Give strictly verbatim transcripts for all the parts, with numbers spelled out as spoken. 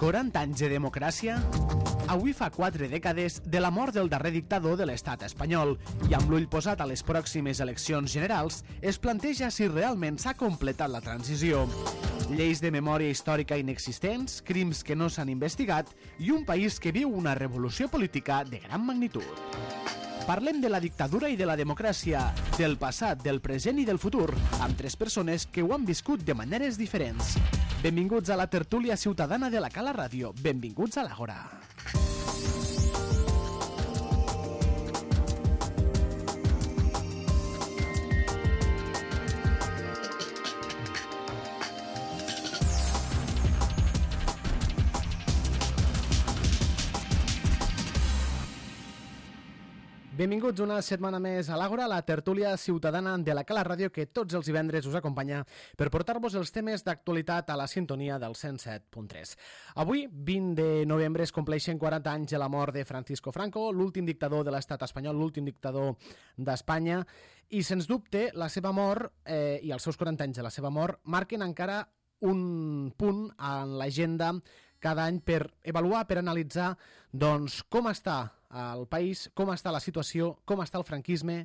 quaranta anys de democràcia? Avui fa quatre dècades de la mort del darrer dictador de l'estat espanyol i amb l'ull posat a les pròximes eleccions generals es planteja si realment s'ha completat la transició. Lleis de memòria històrica inexistents, crims que no s'han investigat i un país que viu una revolució política de gran magnitud. Parlem de la dictadura i de la democràcia, del passat, del present i del futur, amb tres persones que ho han viscut de maneres diferents. Benvinguts a la tertúlia ciutadana de la Cala Ràdio. Benvinguts a l'Àgora. Benvinguts una setmana més a l'Àgora, la tertúlia ciutadana de la Cala Ràdio que tots els divendres us acompanya per portar-vos els temes d'actualitat a la sintonia del cent set punt tres. Avui, vint de novembre, es compleixen quaranta anys de la mort de Francisco Franco, l'últim dictador de l'estat espanyol, l'últim dictador d'Espanya, i sens dubte la seva mort eh, i els seus quaranta anys de la seva mort marquen encara un punt en l'agenda cada any per avaluar, per analitzar doncs, com està el país, com està la situació, com està el franquisme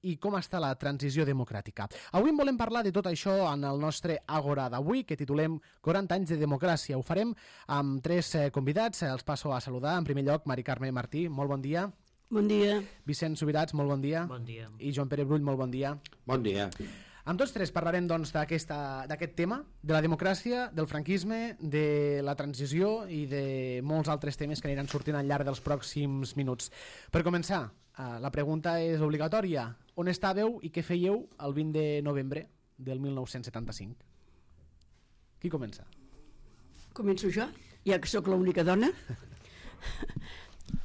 i com està la transició democràtica. Avui en volem parlar de tot això en el nostre Àgora d'avui, que titulem quaranta anys de democràcia. Ho farem amb tres eh, convidats. Els passo a saludar. En primer lloc, Mari Carme Martí, molt bon dia. Bon dia. Vicent Subirats, molt bon dia. Bon dia. I Joan Pere Brull, molt bon dia. Bon dia. Amb tots tres parlarem doncs, d'aquest tema, de la democràcia, del franquisme, de la transició i de molts altres temes que aniran sortint al llarg dels pròxims minuts. Per començar, eh, la pregunta és obligatòria. On estàveu i què fèieu el vint de novembre del mil nou-cents setanta-cinc? Qui comença? Començo jo, ja que sóc l'única dona.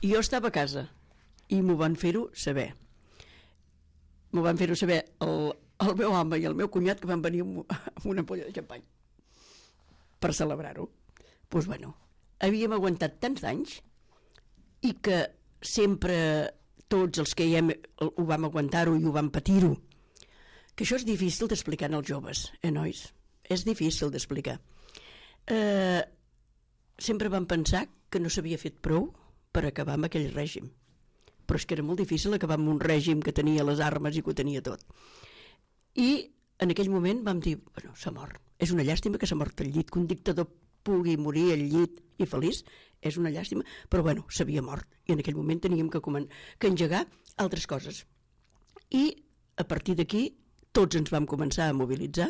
Jo estava a casa i m'ho van fer-ho saber. M'ho van fer-ho saber el... el meu home i el meu cunyat, que van venir amb una ampolla de xampany per celebrar-ho. Doncs pues bueno, havíem aguantat tants anys i que sempre tots els que hi hem, ho vam aguantar-ho i ho vam patir-ho, que això és difícil d'explicar als joves, eh, nois? És difícil d'explicar. Eh, sempre vam pensar que no s'havia fet prou per acabar amb aquell règim, però és que era molt difícil acabar amb un règim que tenia les armes i que ho tenia tot. I en aquell moment vam dir, bueno, s'ha mort, és una llàstima que s'ha mort al llit, que un dictador pugui morir al llit i feliç, és una llàstima, però bueno, s'havia mort i en aquell moment teníem que, que engegar altres coses. I a partir d'aquí tots ens vam començar a mobilitzar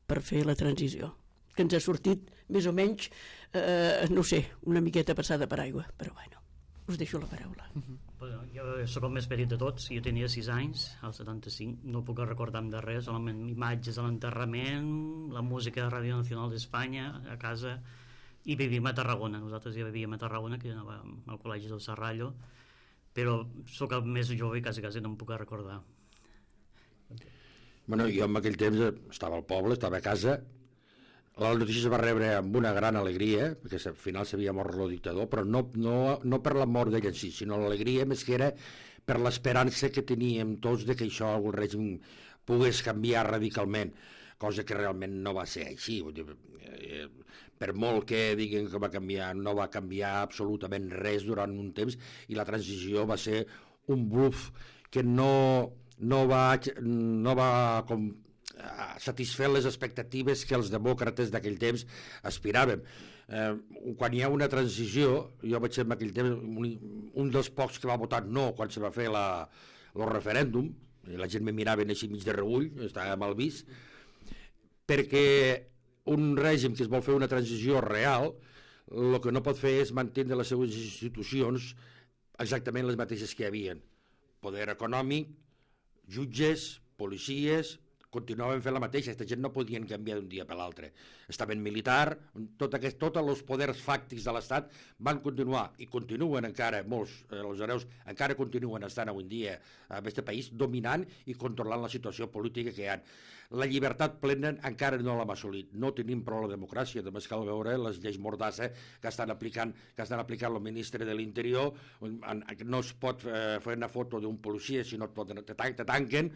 per fer la transició, que ens ha sortit més o menys, eh, no sé, una miqueta passada per aigua, però bueno, us deixo la paraula. Uh-huh. Bueno, jo sóc el més petit de tots, jo tenia sis anys, al setanta-cinc, no puc recordar-me de res, solament imatges de l'enterrament, la música de Ràdio Nacional d'Espanya a casa, i vivíem a Tarragona. Nosaltres ja vivíem a Tarragona, que anàvem al col·legi del Serrallo, però sóc el més jove i quasi quasi no em puc recordar. Bueno, jo en aquell temps estava al poble, estava a casa. La notícia es va rebre amb una gran alegria, perquè al final s'havia mort el dictador, però no, no, no per la mort d'ell en si, sinó l'alegria més que era per l'esperança que teníem tots de que això, el règim, pogués canviar radicalment, cosa que realment no va ser així. Vull dir, eh, per molt que diguin que va canviar, no va canviar absolutament res durant un temps, i la transició va ser un bluff que no, no va, no va com, satisfer les expectatives que els demòcrates d'aquell temps aspiràvem. Eh, quan hi ha una transició, jo vaig ser en aquell temps un, un dels pocs que va votar no quan se va fer la, el referèndum, i la gent me mirava així mig de reüll, estava mal vist, perquè un règim que es vol fer una transició real, el que no pot fer és mantenir les seues institucions exactament les mateixes que hi havia. Poder econòmic, jutges, policies, continuaven fent la mateixa, aquesta gent no podien canviar d'un dia per l'altre. Estaven militar, tot aquest, tots els poders fàctics de l'Estat van continuar, i continuen encara, molts, eh, els hereus, encara continuen estant avui en dia en aquest país, dominant i controlant la situació política que hi ha. La llibertat plena encara no l'hem assolit, no tenim prou la democràcia, només cal veure les lleis mordassa que estan aplicant, que estan aplicant el ministre de l'Interior, no es pot eh, fer una foto d'un policia, sinó te, te tanquen,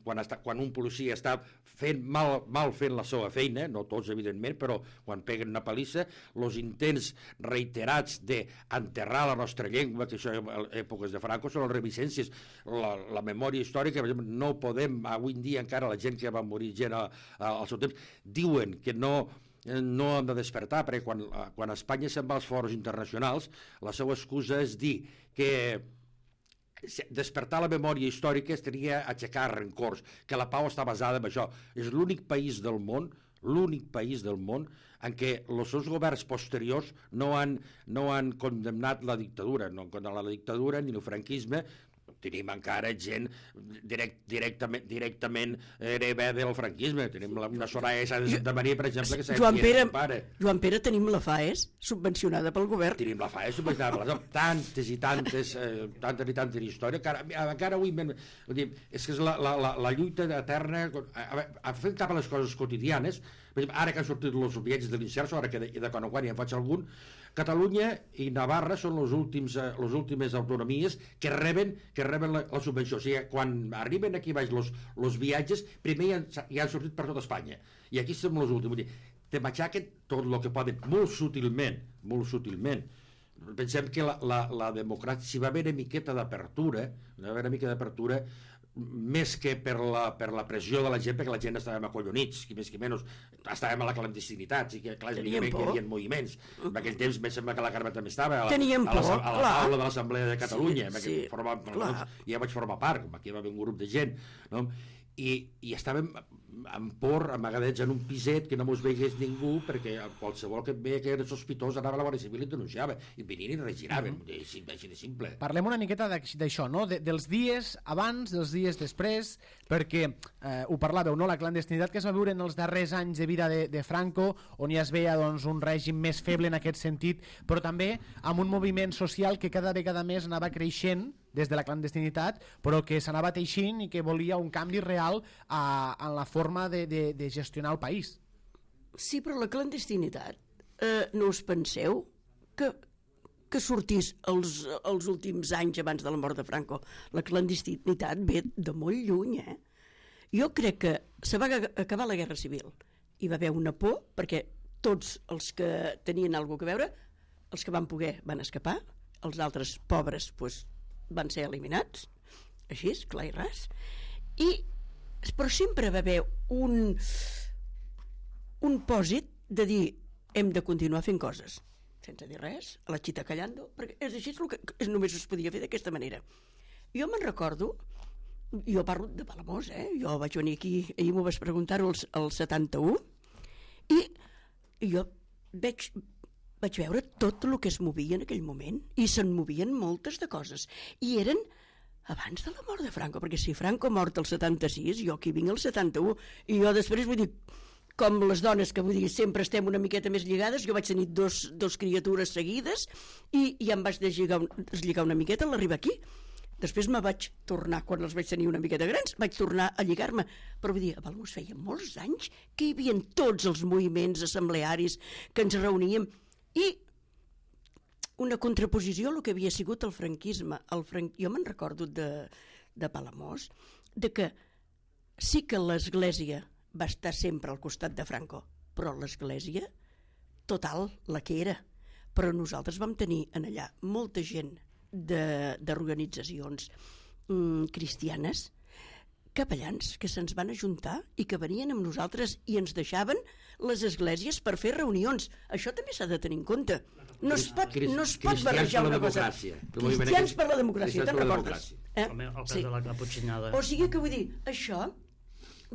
quan, està, quan un policia està fent mal, mal fent la seva feina, no tots evidentment, però quan peguen una palissa, els intents reiterats d'enterrar la nostra llengua, que això en èpoques de Franco són les revisències, la, la memòria històrica, per exemple, no podem, avui en dia encara la gent que va morir gent al, al seu temps, diuen que no no hem de despertar, perquè quan, quan Espanya se'n va als fòrums internacionals, la seva excusa és dir que despertar la memòria històrica seria aixecar rencors, que la pau està basada en això. És l'únic país del món, l'únic país del món en què els seus governs posteriors no han, no han condemnat la dictadura, no han condemnat la dictadura ni el franquisme. Tenim encara gent direct, directament, directament hereva del franquisme. Tenim la, una Soraya Sáenz de Santa Maria, per exemple, que s'ha Joan Pere, pare. Joan Pere, tenim la FAES subvencionada pel govern. Tenim la FAES subvencionada pel govern. Tantes i tantes, eh, tantes i tantes històries. Encara, encara avui... Vull dir, és que és la, la, la, la lluita eterna... A, a fer cap a les coses quotidianes. Per exemple, ara que han sortit els viatges de l'Inserso, ara que de, de quan en quan ja en faig algun, Catalunya i Navarra són les últims, eh, les últimes autonomies que reben, que reben la, la subvenció. O sigui, quan arriben aquí baix els viatges, primer ja han, ja han sortit per tot Espanya. I aquí som els últims. Vull dir, te matxaquen tot el que poden, molt sutilment, molt sutilment. Pensem que la, la, la democràcia, si va haver una miqueta d'apertura, va haver una mica d'apertura, més que per la, per la pressió de la gent, perquè la gent estàvem acollonits, qui més qui menys, estàvem a la clandestinitat, sí que clar, és millor que hi havia moviments. En aquell temps em sembla que la Carme també estava a la, Teníem a la, por, a la, a la taula de l'Assemblea de Catalunya, sí, sí, formava, doncs, ja vaig formar part, aquí va haver un grup de gent, no? I, i estàvem amb por, amagadets en un piset que no mos veigués ningú, perquè qualsevol que et veia que era sospitós anava a la Guàrdia Civil i et denunciava, i venien i regiraven, mm -hmm. així, així de simple. Parlem una miqueta d'això, no? De, dels dies abans, dels dies després, perquè eh, ho parlàveu, no? La clandestinitat que es va viure en els darrers anys de vida de, de Franco, on ja es veia doncs, un règim més feble en aquest sentit, però també amb un moviment social que cada vegada més anava creixent des de la clandestinitat, però que s'anava teixint i que volia un canvi real a, en la forma de, de, de gestionar el país. Sí, però la clandestinitat, eh, no us penseu que, que sortís els, els últims anys abans de la mort de Franco? La clandestinitat ve de molt lluny, eh? Jo crec que se va acabar la Guerra Civil. Hi va haver una por, perquè tots els que tenien alguna cosa a veure, els que van poder van escapar, els altres pobres, doncs, van ser eliminats, així, clar i ras, i, però sempre va haver un un pòsit de dir hem de continuar fent coses, sense dir res, a la xita callando, perquè és així, és el que és, només es podia fer d'aquesta manera. Jo me'n recordo, jo parlo de Palamós, eh? Jo vaig venir aquí, ahir m'ho vas preguntar-ho al setanta-u, i jo veig... vaig veure tot el que es movia en aquell moment, i se'n movien moltes de coses, i eren abans de la mort de Franco, perquè si Franco mort el setanta-sis, jo aquí vinc el setanta-u, i jo després, vull dir, com les dones, que vull dir, sempre estem una miqueta més lligades, jo vaig tenir dos, dos criatures seguides, i, i em vaig deslligar, deslligar una miqueta a l'arribar aquí. Després me vaig tornar, quan els vaig tenir una miqueta grans, vaig tornar a lligar-me. Però vull dir, a Palamós feia molts anys que hi havia tots els moviments assemblearis, que ens reuníem, i una contraposició a el que havia sigut el franquisme. El fran... Jo me'n recordo de, de Palamós, de que sí que l'Església va estar sempre al costat de Franco, però l'Església total, la que era. Però nosaltres vam tenir en allà molta gent d'organitzacions mm, cristianes, capellans, que se'ns van ajuntar i que venien amb nosaltres i ens deixaven les esglésies per fer reunions. Això també s'ha de tenir en compte. No es pot, no es pot barrejar una cosa. Cristians per la democràcia, te'n recordes? Eh? El, el cas sí. de la caputxinada. O sigui que vull dir, això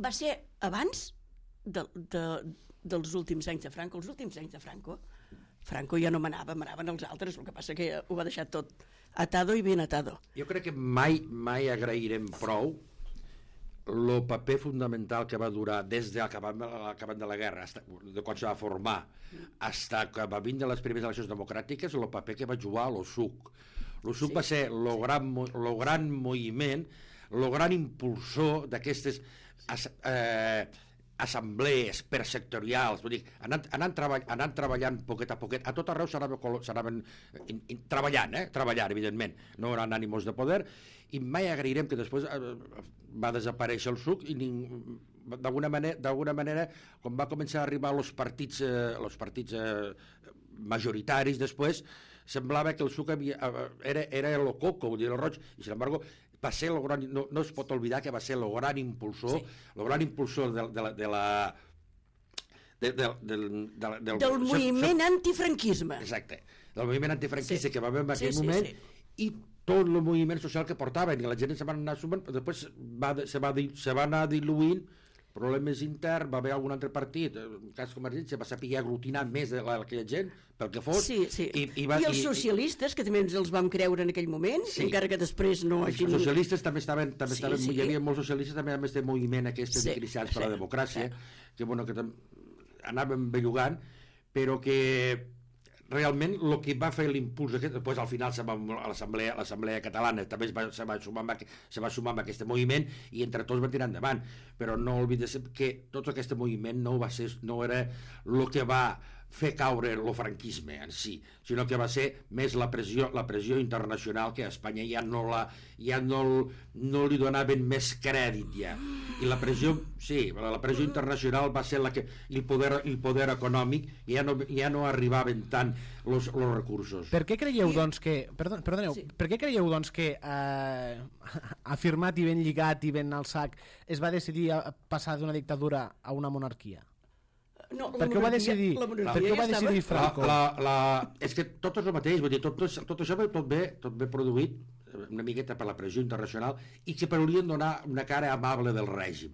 va ser abans de, de, dels últims anys de Franco. Els últims anys de Franco, Franco ja no manava, manaven els altres, el que passa que ho va deixar tot atado i ben atado. Jo crec que mai, mai agrairem prou el paper fundamental que va durar des de l'acabament de la guerra, de quan se va formar, fins que va vindre les primeres eleccions democràtiques, el paper que va jugar l'O S U C. L'O S U C sí, va ser el gran, lo gran moviment, el gran impulsor d'aquestes eh, assemblees persectorials, vull dir, anant, anant, treball, anant treballant poquet a poquet, a tot arreu s'anaven treballant, eh? treballant, evidentment, no eren ànimos de poder, i mai agrairem que després eh, va desaparèixer el S U C i ning... d'alguna manera, d'alguna manera, quan va començar a arribar els partits, eh, els partits eh, majoritaris després, semblava que el suc havia, era, era el coco, vull dir, el roig, i sin embargo, va ser el gran, no, no es pot oblidar que va ser el gran impulsor, sí. el gran impulsor de, de la... De la de, de, de, de, del, del moviment so, antifranquisme. Exacte, del moviment antifranquista sí. que va haver en aquell sí, sí, moment, sí. i tot el moviment social que portaven, i la gent se va anar sumant, però després va, se, va, se va anar diluint, problemes interns, va haver algun altre partit, en cas Convergència, va saber aglutinar més de aquella gent, pel que fos. Sí, sí. I, i, va, I els socialistes, i, que també ens els vam creure en aquell moment, sí. encara que després no hagin... Els socialistes també estaven, també sí, estaven sí. hi havia molts socialistes també a més de moviment aquest sí, de cristians per sí, la democràcia, sí. que bueno, que anaven bellugant, però que realment el que va fer l'impuls aquest, després al final se va, a l'assemblea l'assemblea catalana també es va, se, va sumar amb, se va sumar amb aquest moviment i entre tots va tirar endavant, però no oblides que tot aquest moviment no va ser, no era el que va fer caure el franquisme en si, sinó que va ser més la pressió, la pressió internacional, que a Espanya ja no, la, ja no, no li donaven més crèdit ja, i la pressió sí, la pressió internacional va ser la que el poder, el poder econòmic ja no, ja no arribaven tant els recursos. Per què creieu doncs que perdon, perdoneu, sí. per què creieu doncs que eh, afirmat i ben lligat i ben al sac es va decidir a passar d'una dictadura a una monarquia? No, per què ho va decidir, per què ho va decidir Franco? La, la, la, és que tot és el mateix, vull dir, tot, tot, tot això ve, tot, ve, tot ve produït una miqueta per la pressió internacional i que volien donar una cara amable del règim.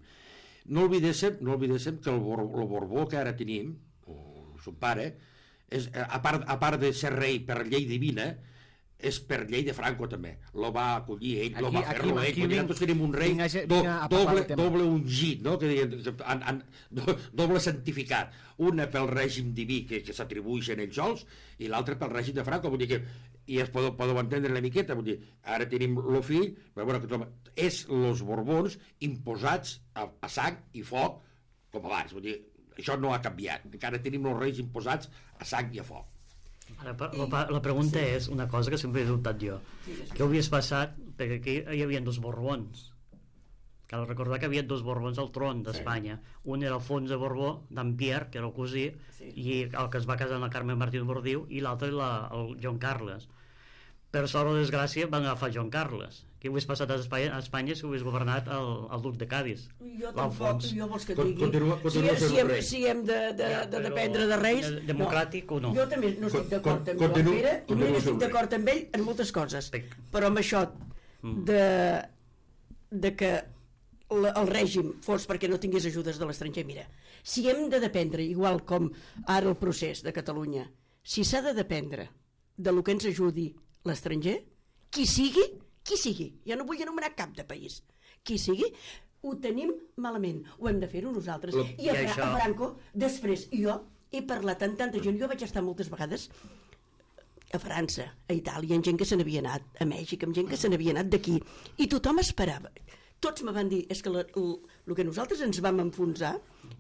No oblidéssim, no oblidéssim que el, Bor, el Borbó que ara tenim, o son pare, és, a, part, a part de ser rei per llei divina, és per llei de Franco també, lo va acollir ell, aquí, lo va fer-lo ell, aquí, nosaltres tenim un rei vinga, do, doble, doble ungit, no? que diuen, an, an, do, doble santificat, una pel règim diví que, que s'atribueixen ells sols i l'altra pel règim de Franco, vull dir que i es podeu, podeu entendre una miqueta, vull dir, ara tenim el fill, però bueno, que és els Borbons imposats a, a sang i foc com abans, vull dir, això no ha canviat, encara tenim els reis imposats a sang i a foc. Ara, la, la pregunta sí. és una cosa que sempre he dubtat jo. Què hauries passat? Perquè aquí hi havia dos Borbons. Cal recordar que hi havia dos Borbons al tron d'Espanya. Sí. Un era Alfons de Borbó, d'en Pierre, que era el cosí, sí. i el que es va casar amb la Carme Martí de Bordiu, i l'altre el Joan Carles. Per sort o desgràcia van agafar Joan Carles. Què hagués passat a Espanya, a Espanya si hagués governat el, el duc de Cádiz? Jo tampoc, jo vols que et digui. Continua, continua si, si, hem, si hem de, de, ja, de dependre de reis... De, democràtic no. o no? Jo també no estic d'acord amb Joan Pere, i no estic d'acord amb ell en moltes coses. Però amb això de, de que el, el règim fos perquè no tingués ajudes de l'estranger, mira, si hem de dependre, igual com ara el procés de Catalunya, si s'ha de dependre de lo que ens ajudi l'estranger, qui sigui, qui sigui, ja no vull anomenar cap de país, qui sigui, ho tenim malament, ho hem de fer-ho nosaltres. Lo, I a, Fra això... a Franco, després, jo he parlat amb tanta gent, jo vaig estar moltes vegades a França, a Itàlia, amb gent que se n'havia anat, a Mèxic, amb gent que se n'havia anat d'aquí, i tothom esperava. Tots me van dir, és que el que nosaltres ens vam enfonsar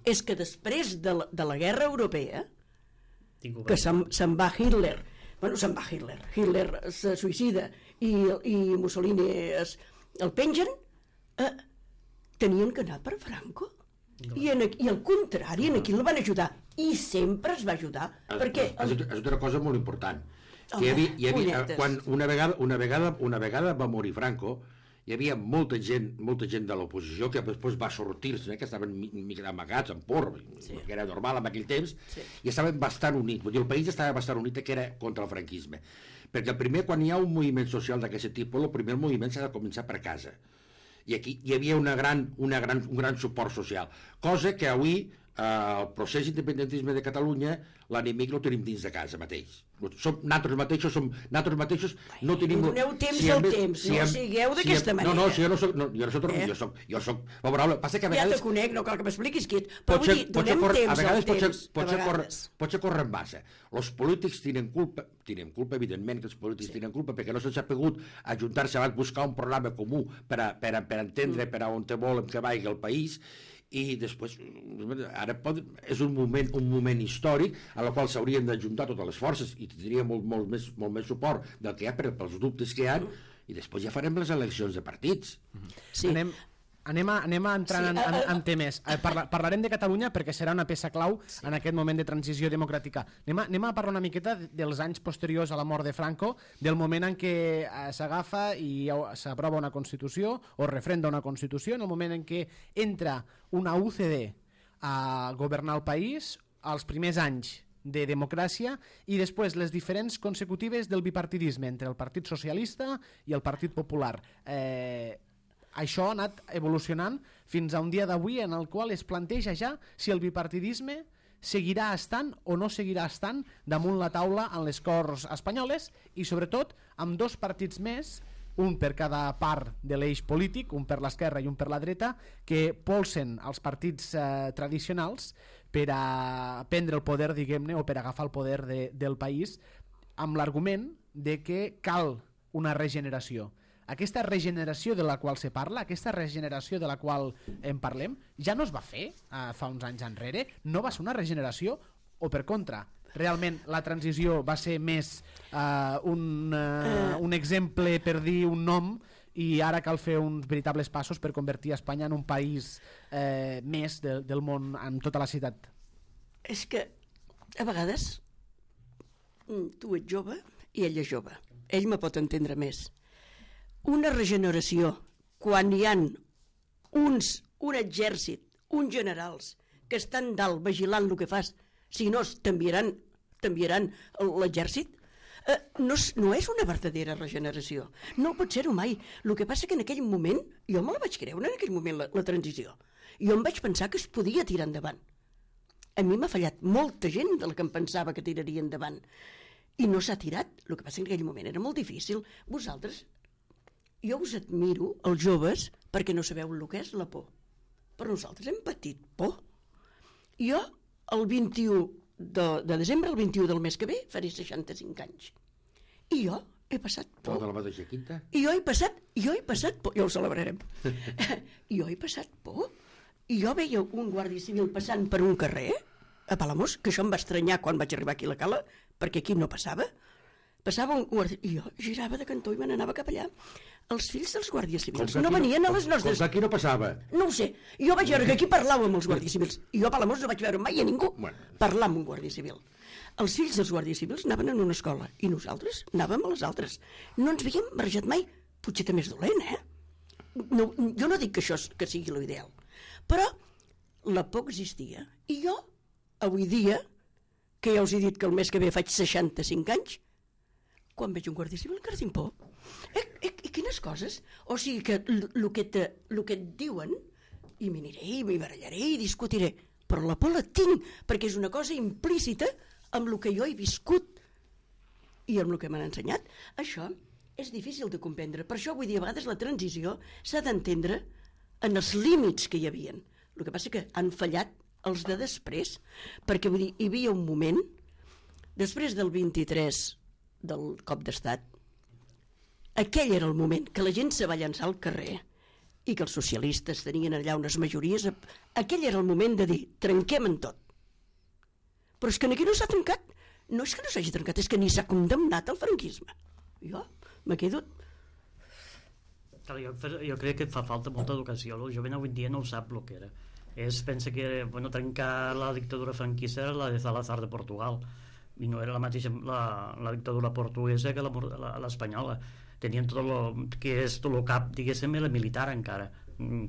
és que després de la, de la guerra europea, que se'n se va Hitler, bueno, se'n va Hitler, Hitler se suïcida i, i Mussolini es, el pengen, eh, tenien que anar per Franco. No. I, en, I al contrari, en aquí el van ajudar, i sempre es va ajudar. És, perquè és, és, és una cosa molt important. Home, hi havia, hi havia, quan una vegada, una, vegada, una vegada va morir Franco, hi havia molta gent, molta gent de l'oposició que després va sortir-se, eh, que estaven amagats en por, sí. que era normal en aquell temps, sí. i estaven bastant units. Vull dir, el país estava bastant unit que era contra el franquisme. Perquè el primer, quan hi ha un moviment social d'aquest tipus, el primer moviment s'ha de començar per casa. I aquí hi havia una gran, una gran, un gran suport social. Cosa que avui, eh, el procés d'independentisme de Catalunya, l'enemic lo tenim dins de casa mateix. Som, nosaltres mateixos, som, nosaltres mateixos no tenim... Doneu temps si al temps, si no hem, sigueu d'aquesta si manera. No, no, si jo no soc... No, jo no soc, eh? jo soc, jo soc favorable. Passa que a vegades... Ja te conec, no cal que m'expliquis qui ets, però vull dir, donem cor, temps a vegades al temps. Pot ser, córrer, pot ser córrer en massa. Els polítics tenen culpa, tenen culpa, evidentment que els polítics sí. tenen culpa, perquè no se'ls ha pogut ajuntar-se abans, buscar un programa comú per, a, per, a, per entendre mm. per a on te volen que vagi el país, i després ara pot, és un moment, un moment històric a la qual s'haurien d'ajuntar totes les forces i tindria molt, molt, més, molt més suport del que hi ha per, pels dubtes que hi ha, i després ja farem les eleccions de partits. Sí. Anem, Anem a, anem a entrar Sí, en, en, en temes. Eh, Parla, parlarem de Catalunya perquè serà una peça clau sí. en aquest moment de transició democràtica. Anem a, anem a parlar una miqueta dels anys posteriors a la mort de Franco, del moment en què eh, s'agafa i s'aprova una Constitució o refrenda una Constitució, en el moment en què entra una U C D a governar el país, als primers anys de democràcia i després les diferents consecutives del bipartidisme entre el Partit Socialista i el Partit Popular. Eh, això ha anat evolucionant fins a un dia d'avui en el qual es planteja ja si el bipartidisme seguirà estant o no seguirà estant damunt la taula en les Corts espanyoles i sobretot amb dos partits més, un per cada part de l'eix polític, un per l'esquerra i un per la dreta, que polsen els partits eh, tradicionals per a prendre el poder, diguem-ne, o per agafar el poder de, del país amb l'argument de que cal una regeneració. Aquesta regeneració de la qual se parla, aquesta regeneració de la qual en parlem, ja no es va fer eh, fa uns anys enrere? No va ser una regeneració? O per contra, realment la transició va ser més eh, un, eh, un exemple per dir un nom i ara cal fer uns veritables passos per convertir Espanya en un país eh, més de, del món amb tota la ciutat? És que a vegades tu ets jove i ell és jove. Ell me pot entendre més. Una regeneració quan hi han uns, un exèrcit, uns generals que estan dalt vigilant el que fas, si no t'enviaran t'enviaran l'exèrcit, eh, no, no és una verdadera regeneració, no pot ser-ho mai. El que passa que en aquell moment jo me la vaig creure, en aquell moment la, la transició, jo em vaig pensar que es podia tirar endavant. A mi m'ha fallat molta gent de la que em pensava que tiraria endavant i no s'ha tirat. El que passa que en aquell moment era molt difícil. Vosaltres, jo us admiro, els joves, perquè no sabeu el que és la por. Però nosaltres hem patit por. Jo, el vint-i-u de, de desembre, el vint-i-u del mes que ve, faré seixanta-cinc anys. I jo he passat por. Tota la mateixa quinta? I jo he passat, jo he passat por. Ja ho celebrarem. Jo he passat por. I jo veia un guàrdia civil passant per un carrer, a Palamós, que això em va estranyar quan vaig arribar aquí a la Cala, perquè aquí no passava. Passava un guàrdia... I jo girava de cantó i me n'anava cap allà. Els fills dels guàrdies civils no venien a les nostres... Com aquí no passava? No ho sé. Jo vaig veure que aquí parlàvem amb els guàrdies civils. I jo a Palamós no vaig veure mai a ningú bueno. parlar amb un guàrdia civil. Els fills dels guàrdies civils anaven en una escola i nosaltres anàvem a les altres. No ens havíem barrejat mai. Potser també és dolent, eh? No, jo no dic que això que sigui l'ideal. Però la por existia. I jo, avui dia, que ja us he dit que el mes que ve faig seixanta-cinc anys, quan veig un guàrdia civil encara tinc por. Eh, eh, eh, quines coses? O sigui que el que, te, lo que et diuen, i m'aniré, i m'hi barallaré, i discutiré, però la por la tinc, perquè és una cosa implícita amb el que jo he viscut i amb el que m'han ensenyat. Això és difícil de comprendre. Per això, vull dir, a vegades la transició s'ha d'entendre en els límits que hi havien. El que passa que han fallat els de després, perquè vull dir, hi havia un moment, després del vint-i-tres del cop d'estat, aquell era el moment que la gent se va llançar al carrer i que els socialistes tenien allà unes majories, aquell era el moment de dir, trenquem en tot. Però és que aquí no s'ha trencat, no és que no s'hagi trencat, és que ni s'ha condemnat el franquisme. Jo me quedo... Jo, jo crec que fa falta molta educació. El jovent avui dia no ho sap el que era. Es pensa que bueno, trencar la dictadura franquista era la de Salazar de Portugal i no era la mateixa la, la dictadura portuguesa que l'espanyola. Tenien tot el que és tot el cap, diguéssim, la militar encara.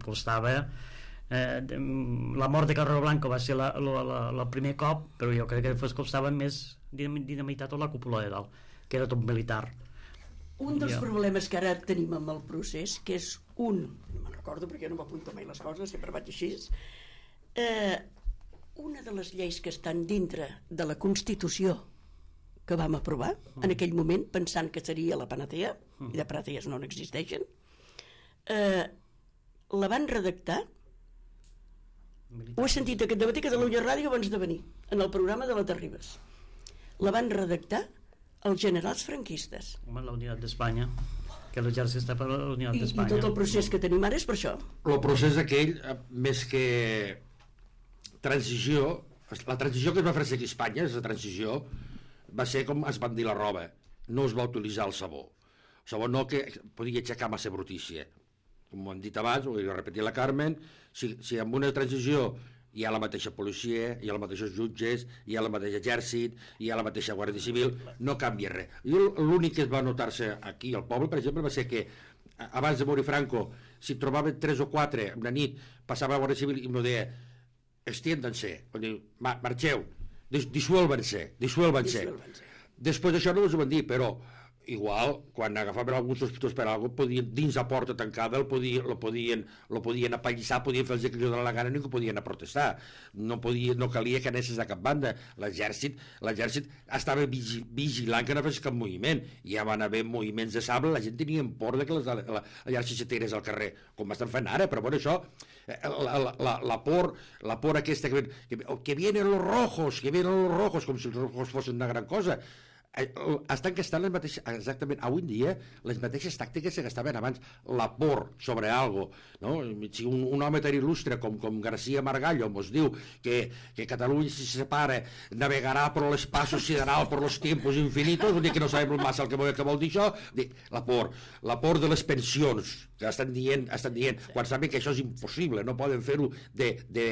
Costava eh, la mort de Carrero Blanco va ser la, la, la, la primer cop, però jo crec que després costava més dinamitar tota la cúpula de dalt, que era tot militar. Un dels ja. problemes que ara tenim amb el procés, que és un, no me'n recordo perquè no m'apunto mai les coses, sempre vaig així, eh, una de les lleis que estan dintre de la Constitució que vam aprovar, mm. en aquell moment, pensant que seria la panatea, mm. i de panatees no n'existeixen, eh, la van redactar, Militar. Ho he sentit aquest dematí a Catalunya Ràdio abans de venir, en el programa de la Terribas. La van redactar els generals franquistes. Home, la Unitat d'Espanya, que l'exèrcit està per la Unitat d'Espanya. I tot el procés que tenim ara és per això. El procés aquell, més que transició, la transició que es va fer aquí a Espanya, la transició, va ser com es van dir la roba, no es va utilitzar el sabó. El sabó no que podia aixecar massa brutícia. com ho hem dit abans, ho he repetit la Carmen, si, si amb una transició hi ha la mateixa policia, hi ha els mateixos jutges, hi ha el mateix exèrcit, hi ha la mateixa Guàrdia Civil, no canvia res. Jo l'únic que es va notar-se aquí al poble, per exemple, va ser que abans de morir Franco, si trobaven tres o quatre una nit, passava la Guàrdia Civil i m'ho deia, extiéndanse, marxeu, disuelven-se, disuelven-se. Després d'això no us ho van dir, però igual, quan agafaven alguns sospitós per alguna cosa, podien, dins la porta tancada, el podien, lo podien, lo podien apallissar, podien fer el que els donava la gana, ningú podien a protestar. No, podia, no calia que anessis a cap banda. L'exèrcit l'exèrcit estava vigi, vigilant que no fes cap moviment. Ja van haver moviments de sable, la gent tenia por de que les, la, l'exèrcit se tirés al carrer, com estan fent ara, però bueno, això, la, la, la, por, la por aquesta, que, que, que vienen los rojos, que vienen los rojos, com si els rojos fossin una gran cosa. Estan gastant les mateixes, exactament avui en dia les mateixes tàctiques que gastaven abans, la por sobre algo, no? Si un, un home tan il·lustre com, com García Margallo ens diu que, que Catalunya si se separa navegarà per l'espacio sideral per los tiempos infinitos, vull dir que no sabem massa el que vol, que vol dir això. La por, la por de les pensions que estan dient, estan dient quan saben que això és impossible, no poden fer-ho de, de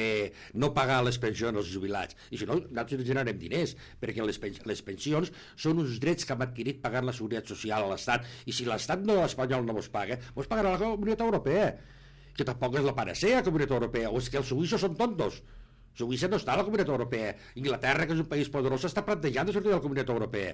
no pagar les pensions als jubilats, i si no nosaltres generarem diners, perquè les, les pensions són uns drets que hem adquirit pagant la seguretat social a l'Estat, i si l'Estat no espanyol no vos paga, vos pagarà la Comunitat Europea, que tampoc és la panacea la Comunitat Europea, o és que els suïssos són tontos. Suïssa no està a la Comunitat Europea. Inglaterra, que és un país poderós, està plantejant de sortir de la Comunitat Europea.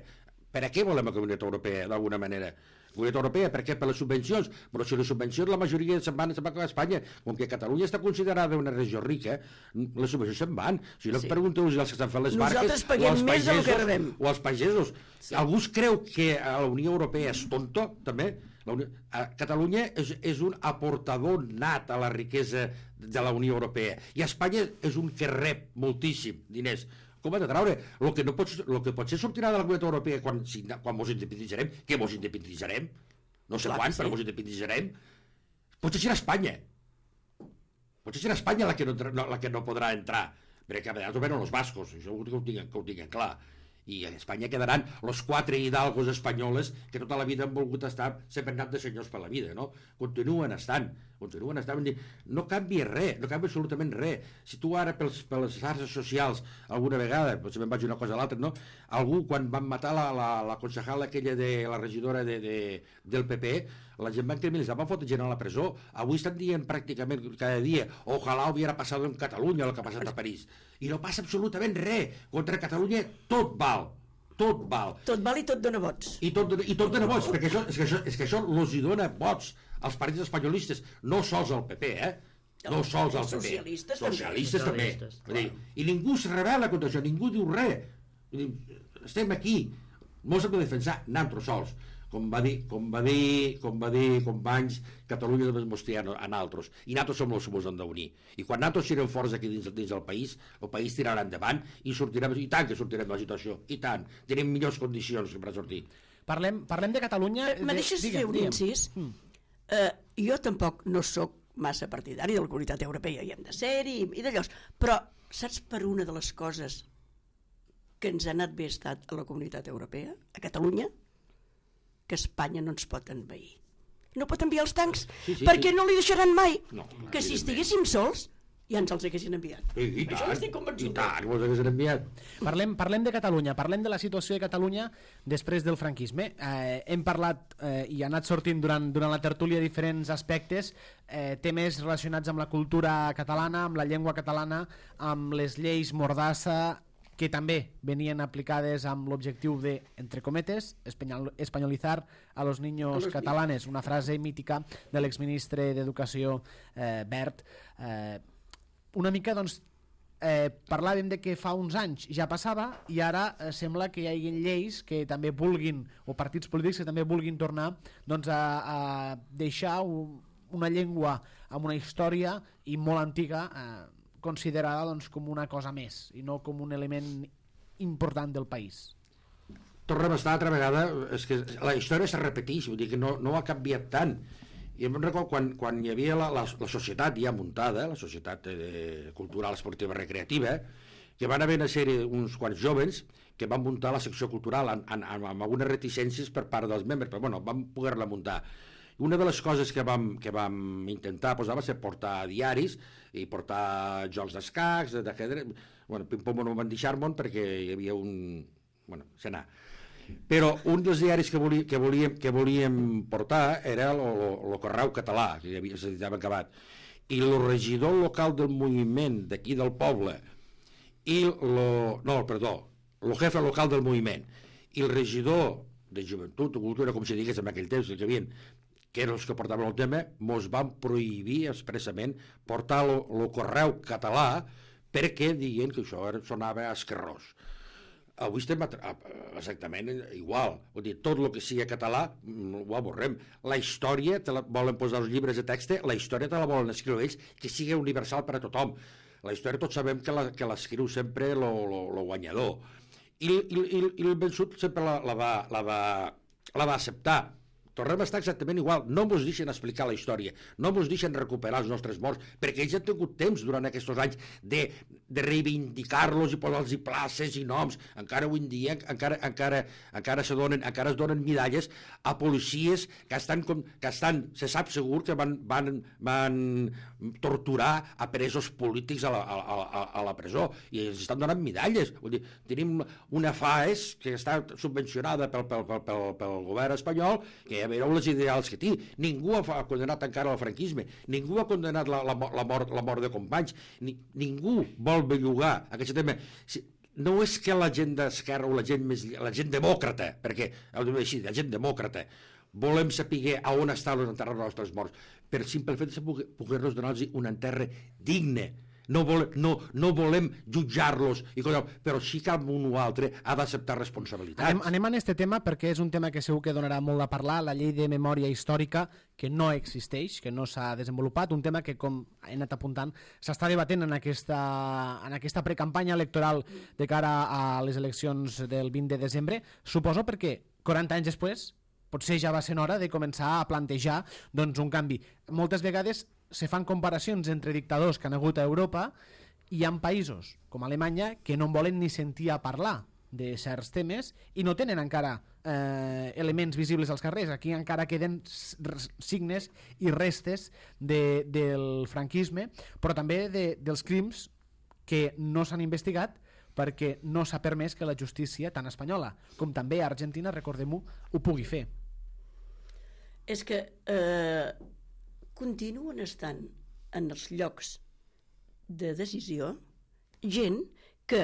Per a què volem la Comunitat Europea, d'alguna manera? Comunitat Europea, per què? Per les subvencions, però si les subvencions la majoria se'n van, se'n van a Espanya, com que Catalunya està considerada una regió rica, les subvencions se'n van. Si no sí. Pregunteu als que estan fent les barques, nosaltres paguem més del que rebem. O als pagesos. Sí. Algú creu que la Unió Europea és tonto, també? La Unió... Catalunya és, és un aportador nat a la riquesa de la Unió Europea, i Espanya és un que rep moltíssim diners. Com ha de traure? El que, no pot, el que potser sortirà de la Comunitat Europea quan, si, quan mos independitzarem, que mos independitzarem, no sé Clar, quan, sí. però mos independitzarem, potser serà Espanya. Potser serà Espanya la que no, la que no podrà entrar, perquè a vegades ho venen els bascos, això que ho tinguin, que ho tinguin clar. I a Espanya quedaran los quatre hidalgos espanyoles que tota la vida han volgut estar, sempre han anat de senyors per la vida, no? Continuen estant, continuen estant, no canvia res, no canvia absolutament res. Si tu ara pels, per les xarxes socials alguna vegada, potser me'n vaig una cosa a l'altra, no? Algú quan van matar la, la, la concejal aquella de la regidora de, de, del P P, la gent van criminalitzar, van fotre gent a la presó. Avui estan dient pràcticament cada dia ojalà hubiera passat en Catalunya el que ha passat a París. I no passa absolutament res. Contra Catalunya tot val. Tot val. Tot val i tot dona vots. I tot, i tot dona vots, perquè això, és que això, és que això els hi dona vots als partits espanyolistes, no sols al P P, eh? No sols al P P. Socialistes, Socialistes també. Socialistes, també. I ningú es rebel·la contra això, ningú diu res. Estem aquí, molts hem de defensar, nosaltres sols. Com va dir, com va dir, com va dir companys, Catalunya només mos té a nosaltres, i nosaltres som els que mos hem d'unir. I quan nosaltres serem forts aquí dins, dins del país, el país tirarà endavant i sortirem, i tant que sortirem de la situació, i tant, tenim millors condicions per sortir. Parlem, parlem de Catalunya... Eh, me deixes de, fer un incís? Mm. Uh, jo tampoc no sóc massa partidari de la Comunitat Europea, hi hem de ser-hi, i d'allò, però saps per una de les coses que ens ha anat bé estat a la Comunitat Europea, a Catalunya? Que Espanya no ens pot envair. No pot enviar els tancs, sí, sí, perquè sí. No li deixaran mai. No, que si estiguéssim sols, ja ens els haguessin enviat. I, i Això tant, estic convençut. I tant, ens haguessin enviat. Parlem, parlem de Catalunya, parlem de la situació de Catalunya després del franquisme. Eh, hem parlat eh, i ha anat sortint durant, durant la tertúlia diferents aspectes, eh, temes relacionats amb la cultura catalana, amb la llengua catalana, amb les lleis Mordassa, que també venien aplicades amb l'objectiu de, entre cometes, espanyol, espanyolitzar a los niños catalanes, una frase mítica de l'exministre d'Educació eh, Bert. Eh, una mica, doncs, eh, parlàvem de que fa uns anys ja passava i ara eh, sembla que hi hagi lleis que també vulguin, o partits polítics que també vulguin tornar doncs, a, a deixar un, una llengua amb una història i molt antiga, eh, considerada doncs, com una cosa més i no com un element important del país. Tornem a estar altra vegada, és que la història se repeteix, vull dir que no, no ha canviat tant. I em recordo quan, quan hi havia la, la, la societat ja muntada, la societat eh, cultural, esportiva, recreativa, que van haver una sèrie, uns quants jovens que van muntar la secció cultural amb, amb, amb algunes reticències per part dels membres, però bueno, van poder-la muntar. Una de les coses que vam, que vam intentar posar va ser portar diaris i portar jocs d'escacs, d'ajedrez. Bueno, pim-pom no van deixar-me'n perquè hi havia un... Bueno, se n'ha. Però un dels diaris que, volí, que, volíem, que volíem portar era el Correu Català, que s'editava acabat. I el regidor local del moviment d'aquí del poble i lo, no, perdó, el jefe local del moviment i el regidor de joventut o cultura, com si digués en aquell temps, que havien, que eren els que portaven el tema, mos van prohibir expressament portar el Correu Català perquè diuen que això era, sonava esquerrós. Avui estem exactament igual. Vull dir, tot el que sigui català ho avorrem. La història, te la volen posar els llibres de text, la història te la volen escriure ells, que sigui universal per a tothom. La història tots sabem que la, que l'escriu sempre el guanyador. I, i, i, i el vençut sempre la, la, va, la, va, la va acceptar. Tornem a estar exactament igual. No ens deixen explicar la història, no ens deixen recuperar els nostres morts, perquè ells han tingut temps durant aquests anys de, de reivindicar-los i posar-los places i noms. Encara avui en dia encara, encara, encara, se donen, encara es donen medalles a policies que estan, com, que estan se sap segur que van, van, van torturar a presos polítics a la, a, a, a la presó, i els estan donant medalles. Vull dir, tenim una FAES que està subvencionada pel, pel, pel, pel, pel govern espanyol, que ja veureu les ideals que té. Ningú ha condenat encara el franquisme, ningú ha condenat la, la, la, mort, la mort de companys, ni, ningú vol bellugar aquest tema. Si, no és que la gent d'esquerra o la gent més, la gent demòcrata, perquè heu de dir així, la gent demòcrata, volem saber a on estan els enterrats dels nostres morts, per simple fet de poder-los donar-los un enterre digne. No, volem, no, no volem jutjar-los, però sí que un o altre ha d'acceptar responsabilitats. Anem, anem a aquest tema perquè és un tema que segur que donarà molt a parlar, la llei de memòria històrica, que no existeix, que no s'ha desenvolupat, un tema que, com he anat apuntant, s'està debatent en aquesta, en aquesta precampanya electoral de cara a les eleccions del vint de desembre, suposo perquè quaranta anys després potser ja va ser hora de començar a plantejar doncs, un canvi. Moltes vegades se fan comparacions entre dictadors que han hagut a Europa i hi ha països com Alemanya que no en volen ni sentir a parlar de certs temes i no tenen encara eh, elements visibles als carrers. Aquí encara queden signes i restes de, del franquisme, però també de, dels crims que no s'han investigat perquè no s'ha permès que la justícia, tant espanyola com també Argentina, recordem-ho, ho pugui fer. És que eh, continuen estant en els llocs de decisió gent que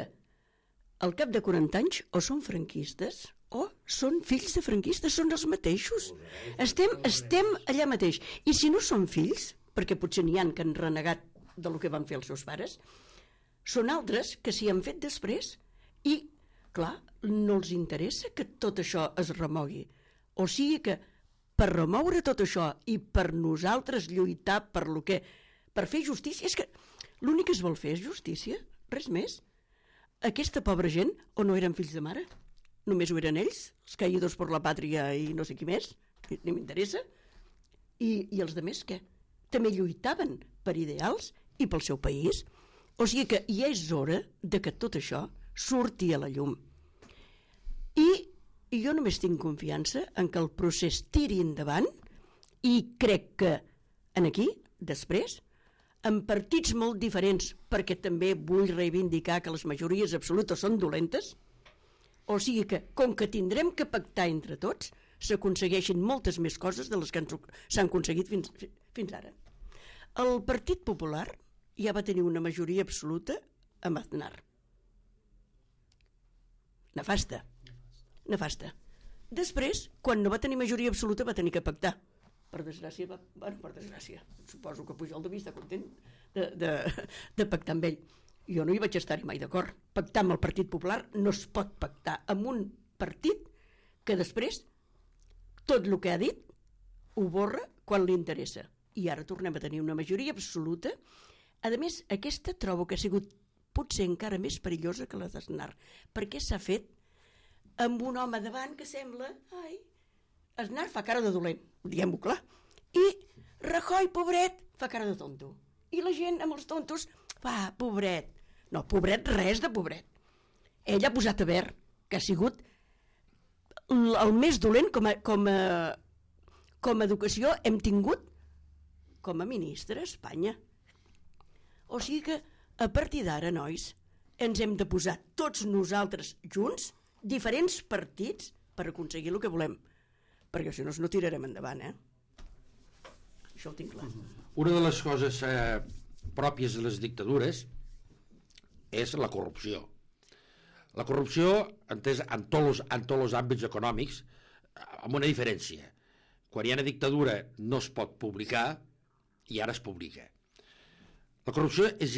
al cap de quaranta anys o són franquistes o són fills de franquistes, són els mateixos. Estem, estem allà mateix. I si no són fills, perquè potser n'hi ha que han renegat del que van fer els seus pares, són altres que s'hi han fet després i, clar, no els interessa que tot això es remogui. O sigui que per remoure tot això i per nosaltres lluitar per lo que, per fer justícia, és que l'únic que es vol fer és justícia, res més. Aquesta pobra gent, o no eren fills de mare, només ho eren ells, els caïdos per la pàtria i no sé qui més, ni m'interessa, i, i els demés què? També lluitaven per ideals i pel seu país. O sigui que ja és hora de que tot això surti a la llum. I I jo només tinc confiança en que el procés tiri endavant i crec que en aquí, després, en partits molt diferents, perquè també vull reivindicar que les majories absolutes són dolentes, o sigui que, com que tindrem que pactar entre tots, s'aconsegueixin moltes més coses de les que s'han aconseguit fins, fins ara. El Partit Popular ja va tenir una majoria absoluta amb Aznar. Nefasta. Nefasta. Després, quan no va tenir majoria absoluta, va tenir que pactar. Per desgràcia, va, bueno, per desgràcia, suposo que Pujol devia estar content de, de, de pactar amb ell. Jo no hi vaig estar-hi mai d'acord. Pactar amb el Partit Popular no es pot pactar amb un partit que després tot el que ha dit ho borra quan li interessa. I ara tornem a tenir una majoria absoluta. A més, aquesta trobo que ha sigut potser encara més perillosa que la d'Aznar, perquè s'ha fet amb un home davant que sembla... Ai, Aznar fa cara de dolent, diguem-ho clar. I Rajoy, pobret, fa cara de tonto. I la gent amb els tontos, va, pobret. No, pobret, res de pobret. Ell ha posat a ver que ha sigut el més dolent com a, com a, com a educació hem tingut com a ministre a Espanya. O sigui que a partir d'ara, nois, ens hem de posar tots nosaltres junts, diferents partits, per aconseguir el que volem. Perquè si no, no tirarem endavant, eh? Això ho tinc clar. Una de les coses eh, pròpies de les dictadures és la corrupció. La corrupció, entès en tots els, en tots els àmbits econòmics, amb una diferència. Quan hi ha una dictadura no es pot publicar i ara es publica. La corrupció és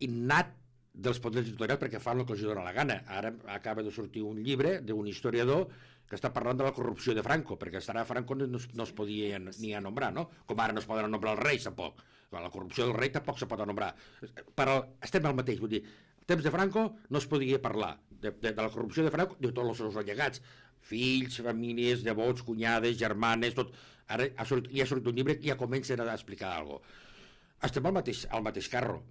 innat dels poders editorials perquè fan el que els dona la gana. Ara acaba de sortir un llibre d'un historiador que està parlant de la corrupció de Franco, perquè estarà Franco no, no es podia ni anombrar, no? Com ara no es poden anombrar els reis, tampoc. La corrupció del rei tampoc se pot anombrar. Però estem al mateix, vull dir, en temps de Franco no es podia parlar de, de, de la corrupció de Franco, de tots els seus allegats, fills, famílies, nebots, cunyades, germanes, tot. Ara ha sortit, ja ha sortit un llibre que ja comencen a explicar alguna cosa. Estem al mateix, al mateix carro.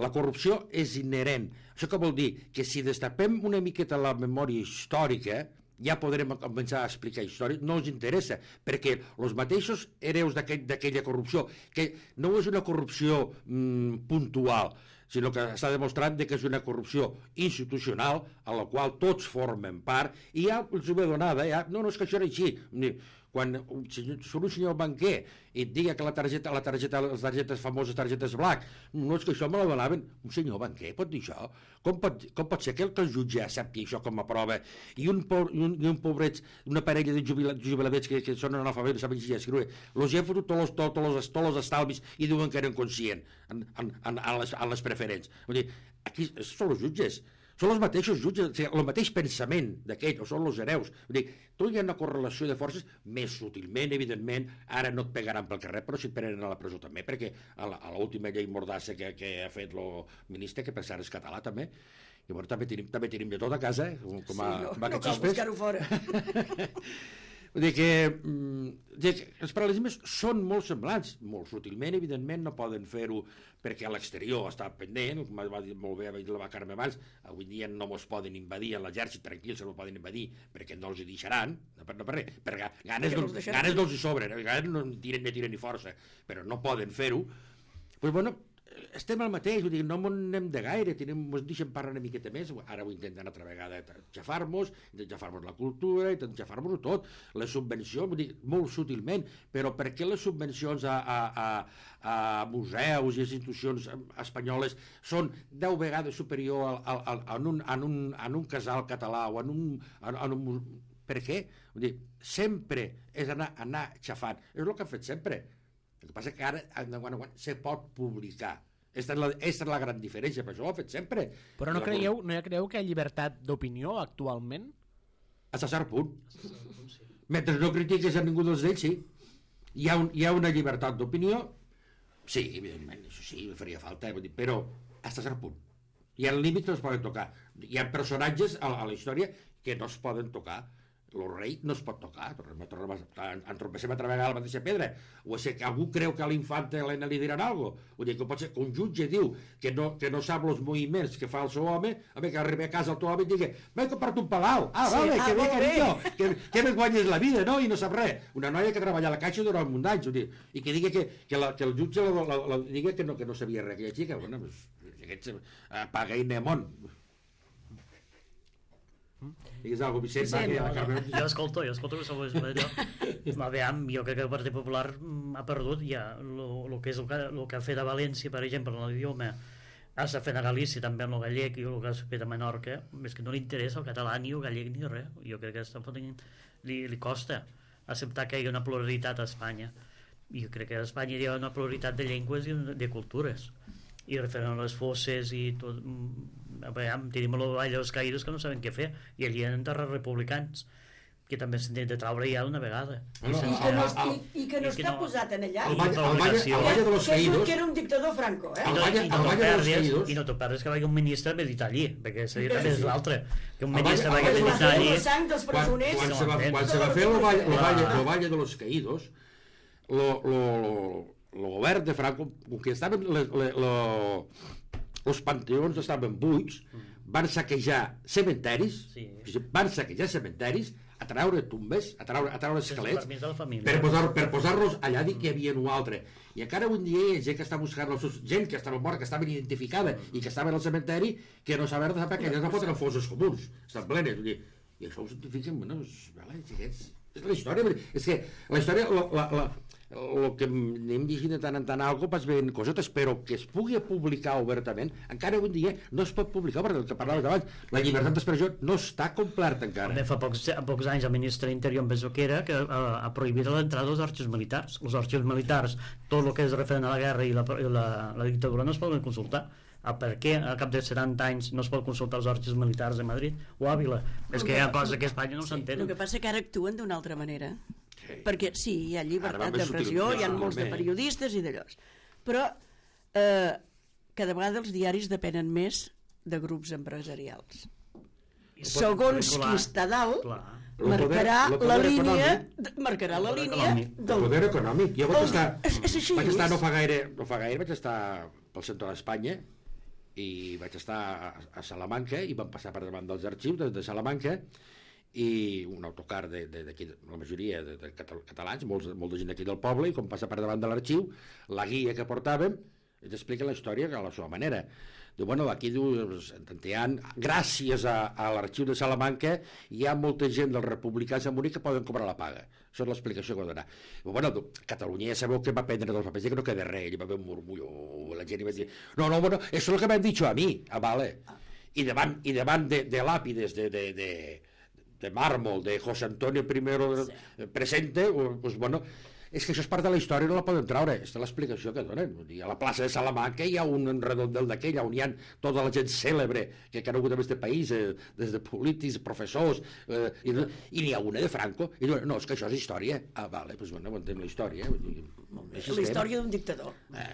La corrupció és inherent. Això què vol dir? Que si destapem una miqueta la memòria històrica, ja podrem començar a explicar història, no ens interessa, perquè els mateixos hereus d'aquella corrupció, que no és una corrupció mm, puntual, sinó que està demostrant que és una corrupció institucional a la qual tots formen part, i ja els ho ve donada, ja, no, no és que això era així. Quan surt un senyor banquer i et diga que la targeta, la targeta, les targetes famoses, targetes black, no és que això me la donaven, un senyor banquer pot dir això? Com pot, com pot ser que el que el jutge accepti això com a prova i un, po, i un, i un pobret, una parella de jubiladets que, que són analfabets, saben llegir i escriure, els han fotut tots els, tots els, tots els estalvis i diuen que eren conscients en, en, en, en, les, en les preferents. Vull dir, aquí són els jutges, són els mateixos jutges, o sigui, el mateix pensament d'aquell, o són els hereus. Vull dir, tu hi ha una correlació de forces més sutilment, evidentment, ara no et pegaran pel carrer, però si et prenen a la presó també, perquè a l'última llei mordassa que, que ha fet el ministre, que per cert és català també, llavors també tenim, també tenim de tot a casa, com a sí, no, vaca no cal buscar-ho fora. Vull dir que, que els paral·lelismes són molt semblants, molt sutilment, evidentment, no poden fer-ho perquè a l'exterior està pendent, com va dir molt bé la Carme abans, avui dia no mos poden invadir a l'exèrcit, tranquils, se no poden invadir, perquè no els hi deixaran, no per, no per res, per ganes, no doncs, ganes no els hi sobren, ganes no tiren ni tiren ni força, però no poden fer-ho. Pues bueno, estem al mateix, vull dir, no m'anem de gaire, ens deixen parlar una miqueta més, ara ho intenten altra vegada xafar-nos, intenten xafar-nos la cultura, intenten xafar-nos tot, les subvencions, vull dir, molt sutilment, però per què les subvencions a, a, a, a museus i institucions espanyoles són deu vegades superior al, al, al, en, un, en, un, en un casal català o en un... En, en un per què? Vull dir, sempre és anar, anar xafant, és el que han fet sempre. El que passa que ara quan, quan, se pot publicar. Aquesta és, la, aquesta és la gran diferència, per això ho ha fet sempre. Però no creieu, no creieu que hi ha llibertat d'opinió actualment? A cert punt. Mentre no critiques a ningú dels d'ells, sí. Hi ha, un, hi ha una llibertat d'opinió, sí, evidentment, això sí, faria falta, eh? Però a cert punt. Hi ha límits que no es poden tocar. Hi ha personatges a, a la història que no es poden tocar. El rei no es pot tocar, entrompessem altra vegada a la mateixa pedra, o és que algú creu que a l'infanta Helena li diran alguna cosa, vull dir que pot ser que un jutge diu que no, que no sap els moviments que fa el seu home, a que arribi a casa el teu home i digui, m'he comprat un palau, ah, sí, vale, ah, que bé, carinyo, que, que me guanyes la vida, no? I no sap res, una noia que treballa a la caixa durant un any, vull dir, i que digui que, que, la, que el jutge la, la, la, digui que no, que no sabia res aquella xica, bueno, pues, aquests apaga i anem. Digues alguna cosa, Vicent, Vicent va, que no, jo escolto, jo escolto que sou allò. Aviam, jo crec que el Partit Popular ha perdut ja el que és el que, el que ha fet a València, per exemple, en l'idioma, ha fet a Galícia també en el gallec i el que ha fet a Menorca, és que no li interessa el català ni el gallec ni res. Jo crec que està fotent, li, li costa acceptar que hi ha una pluralitat a Espanya. I jo crec que a Espanya hi ha una pluralitat de llengües i de cultures. I referent a les fosses i tot, veiem, tenim la Vall dels Caïdos que no saben què fer, i allí hi ha terres republicans que també s'han de traure ja una vegada. No, I, sense, que no, i, i que no i està no, posat en allà. El Valle de los Caídos. Que era un dictador Franco, eh? I no, i no, no perdes, i no t'ho perdes que vagi un ministre a meditar allí, perquè seria també és l'altre, que un ministre vagi a meditar allí. Quan, quan, se va, quan se va fer el Valle, el Valle, el Valle de los Caídos, lo, lo, lo, el govern de Franco, que estaven els panteons estaven buits, van saquejar cementeris, sí. van saquejar cementeris, a treure tumbes, a treure, a treure esquelets, permís de la família. per posar, per posar-los allà dir que hi havia un altre. I encara avui dia hi ha gent que està buscant els seus, gent que estava morta, que estava identificada i que estava al cementeri, que no saben de saber que elles no foten fossos comuns, estan plenes. Vull dir, i això ho cientifiquen, bueno, és, vale, és, és la història, és que la història, la, la, la, el que anem llegint de tant en tant algo pas veient cosetes, però que es pugui publicar obertament, encara avui dia no es pot publicar, perquè el que parlaves abans, la llibertat d'expressió no està complerta encara. També fa pocs, pocs anys el ministre d'Interior, en Besoquera, que ha, ha prohibit l'entrada dels arxius militars. Els arxius militars, tot el que és referent a la guerra i la, i la, la dictadura no es poden consultar. Ah, per què al cap de setanta anys no es pot consultar els arxius militars de Madrid o Àvila? És que hi ha coses que a Espanya no s'entenen. El que passa que ara actuen d'una altra manera. Sí. Perquè sí, hi ha llibertat de d'expressió, hi ha molts de periodistes i d'allò. Però eh, cada vegada els diaris depenen més de grups empresarials. Segons qui està dalt, marcarà la línia marcarà la línia del poder econòmic. Jo vaig estar, és, és així, vaig estar no fa gaire, no fa gaire, vaig estar pel centre d'Espanya i vaig estar a, a Salamanca i vam passar per davant dels arxius de, de Salamanca i un autocar de, de, de, la majoria de, de catalans, molts, molta gent aquí del poble, i com passa per davant de l'arxiu, la guia que portàvem ens explica la història a la seva manera. Diu, bueno, aquí diu, gràcies a, a l'arxiu de Salamanca hi ha molta gent dels republicans a morir que poden cobrar la paga. Això és l'explicació que va donar. Diu, bueno, Catalunya ja sabeu que va prendre dels papers, que no queda res, hi va haver un murmullo, la gent hi va dir, no, no, bueno, això és el que m'han dit a mi, ah, vale. I davant, i davant de, de làpides de, de, de, de màrmol, de José Antonio I sí. presente, pues bueno, és que això és part de la història, no la podem treure. Aquesta és l'explicació que donen. A la plaça de Salamanca hi ha un redondel d'aquell on hi ha tota la gent cèlebre que ha conegut en aquest país, eh, des de polítics, professors, eh, i, i n'hi ha una de Franco, i diuen, no, és que això és història. Ah, vale, doncs bueno, entenem la història. La història d'un dictador. Eh.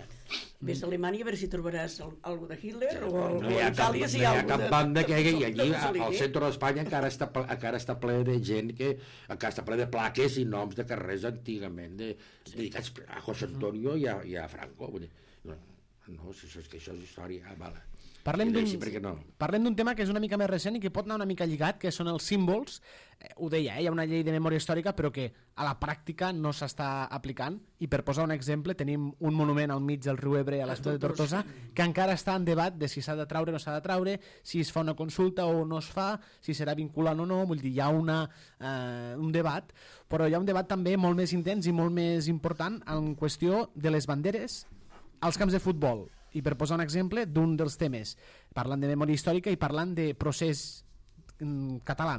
Ves a Alemanya a veure si trobaràs algo de Hitler sí, o no hi ha cap, no hi ha cap banda que hi hagi allí, al centre d'Espanya encara està, encara està ple de gent que encara està ple de plaques i noms de carrers antigament de, sí. dedicats a José Antonio i a, i a Franco. Vull dir, no, no, si és que això és història, ah, vale. Parlem d'un no. parlem d'un tema que és una mica més recent i que pot anar una mica lligat, que són els símbols. Eh, ho deia, eh, hi ha una llei de memòria històrica, però que a la pràctica no s'està aplicant. I per posar un exemple, tenim un monument al mig del riu Ebre, a la ciutat de Tortosa, que encara està en debat de si s'ha de traure o no s'ha de traure, si es fa una consulta o no es fa, si serà vinculant o no. Vull dir, hi ha una, eh, un debat, però hi ha un debat també molt més intens i molt més important en qüestió de les banderes als camps de futbol. I per posar un exemple d'un dels temes, parlant de memòria històrica i parlant de procés mm, català.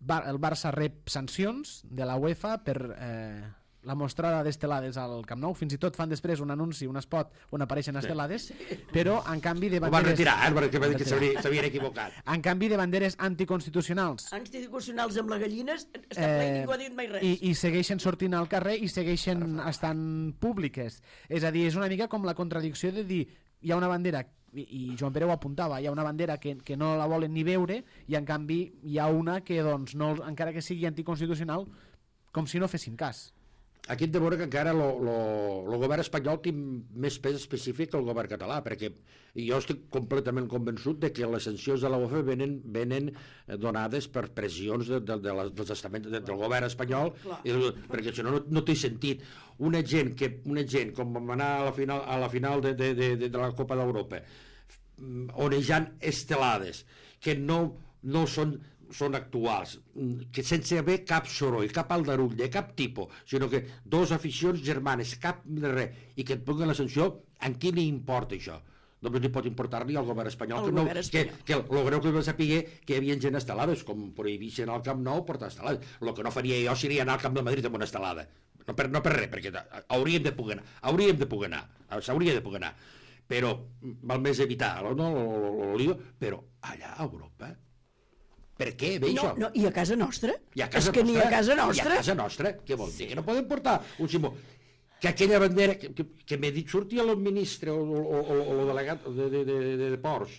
Bar el Barça rep sancions de la UEFA per eh, la mostrada d'estelades al Camp Nou. Fins i tot fan després un anunci, un spot on apareixen estelades, però en canvi de banderes... Ho van retirar, eh, perquè va dir que s'havien equivocat. En canvi de banderes anticonstitucionals. Anticonstitucionals amb la gallines, està ple i ningú ha dit mai res. I, I segueixen sortint al carrer i segueixen estant públiques. És a dir, és una mica com la contradicció de dir, hi ha una bandera, i, i Joan Pere ho apuntava, hi ha una bandera que, que no la volen ni veure, i en canvi hi ha una que, doncs, no, encara que sigui anticonstitucional, com si no fessin cas. Aquí hem de veure que encara el govern espanyol té més pes específic que el govern català, perquè jo estic completament convençut de que les sancions de la UEFA venen, venen donades per pressions de, de, de, dels estaments de, del govern espanyol, i, perquè això no, no té sentit. Una gent, que, una gent com vam anar a la final, a la final de, de, de, de la Copa d'Europa, onejant estelades, que no, no són són actuals, que sense haver cap soroll, cap aldarull de cap tipus, sinó que dos aficions germanes, cap de res, i que et puguen la sanció, en qui li importa això? Només li pot importar-li al govern espanyol, el que, no, govern que, espanyol. que el greu que va saber que hi havia gent estelades, com prohibixen al Camp Nou portar estelades. El que no faria jo seria anar al Camp de Madrid amb una estelada, no per, no per res, perquè hauríem de poder anar, hauríem de poder anar, s'hauria de poder anar, però val més evitar no, el lío, però allà a Europa per què ve no, això? No, i a casa nostra? I a casa és que nostra, ni a casa nostra? I a casa nostra, què vol dir? Que no poden portar un símbol. Que aquella bandera, que, que, que m'he dit, sortia el ministre o, o, o, o el delegat de, de, de, de, de Ports,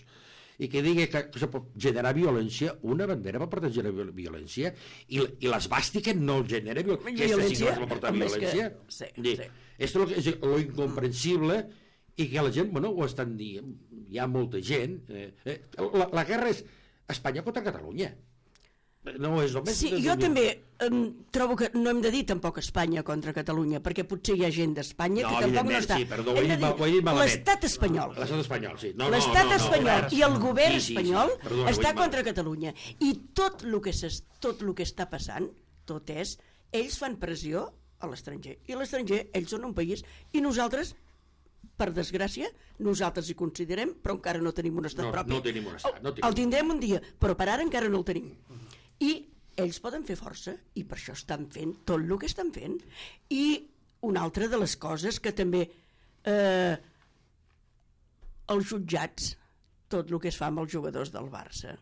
i que digui que, que se pot generar violència, una bandera va portar generar violència, i, i l'esbàstica no genera violència. Aquesta sí que va portar violència. Que... Sí, Dir, sí. Esto és lo incomprensible, i que la gent, bueno, ho estan dient, hi ha molta gent. Eh, eh, la, la guerra és Espanya contra Catalunya. No és només... Sí, jo també em, trobo que no hem de dir tampoc Espanya contra Catalunya, perquè potser hi ha gent d'Espanya No, que tampoc no evidentment, està. sí, perdó, ho he Hem de dit mal- dir ho he dit malament. l'estat espanyol. L'estat espanyol, sí. No, no, L'estat no, no, espanyol no, i el govern sí, sí, sí. espanyol Perdona, ho he està dit contra malament. Catalunya. I tot el que, s'es- tot el que està passant, tot és, ells fan pressió a l'estranger. I a l'estranger, ells són un país, i nosaltres, per desgràcia, nosaltres hi considerem, però encara no tenim un estat No, propi. no tenim un estat, no tenim. El tindrem un dia, però per ara encara no el tenim. I ells poden fer força, i per això estan fent tot el que estan fent. I una altra de les coses que també eh, els jutjats, tot el que es fa amb els jugadors del Barça,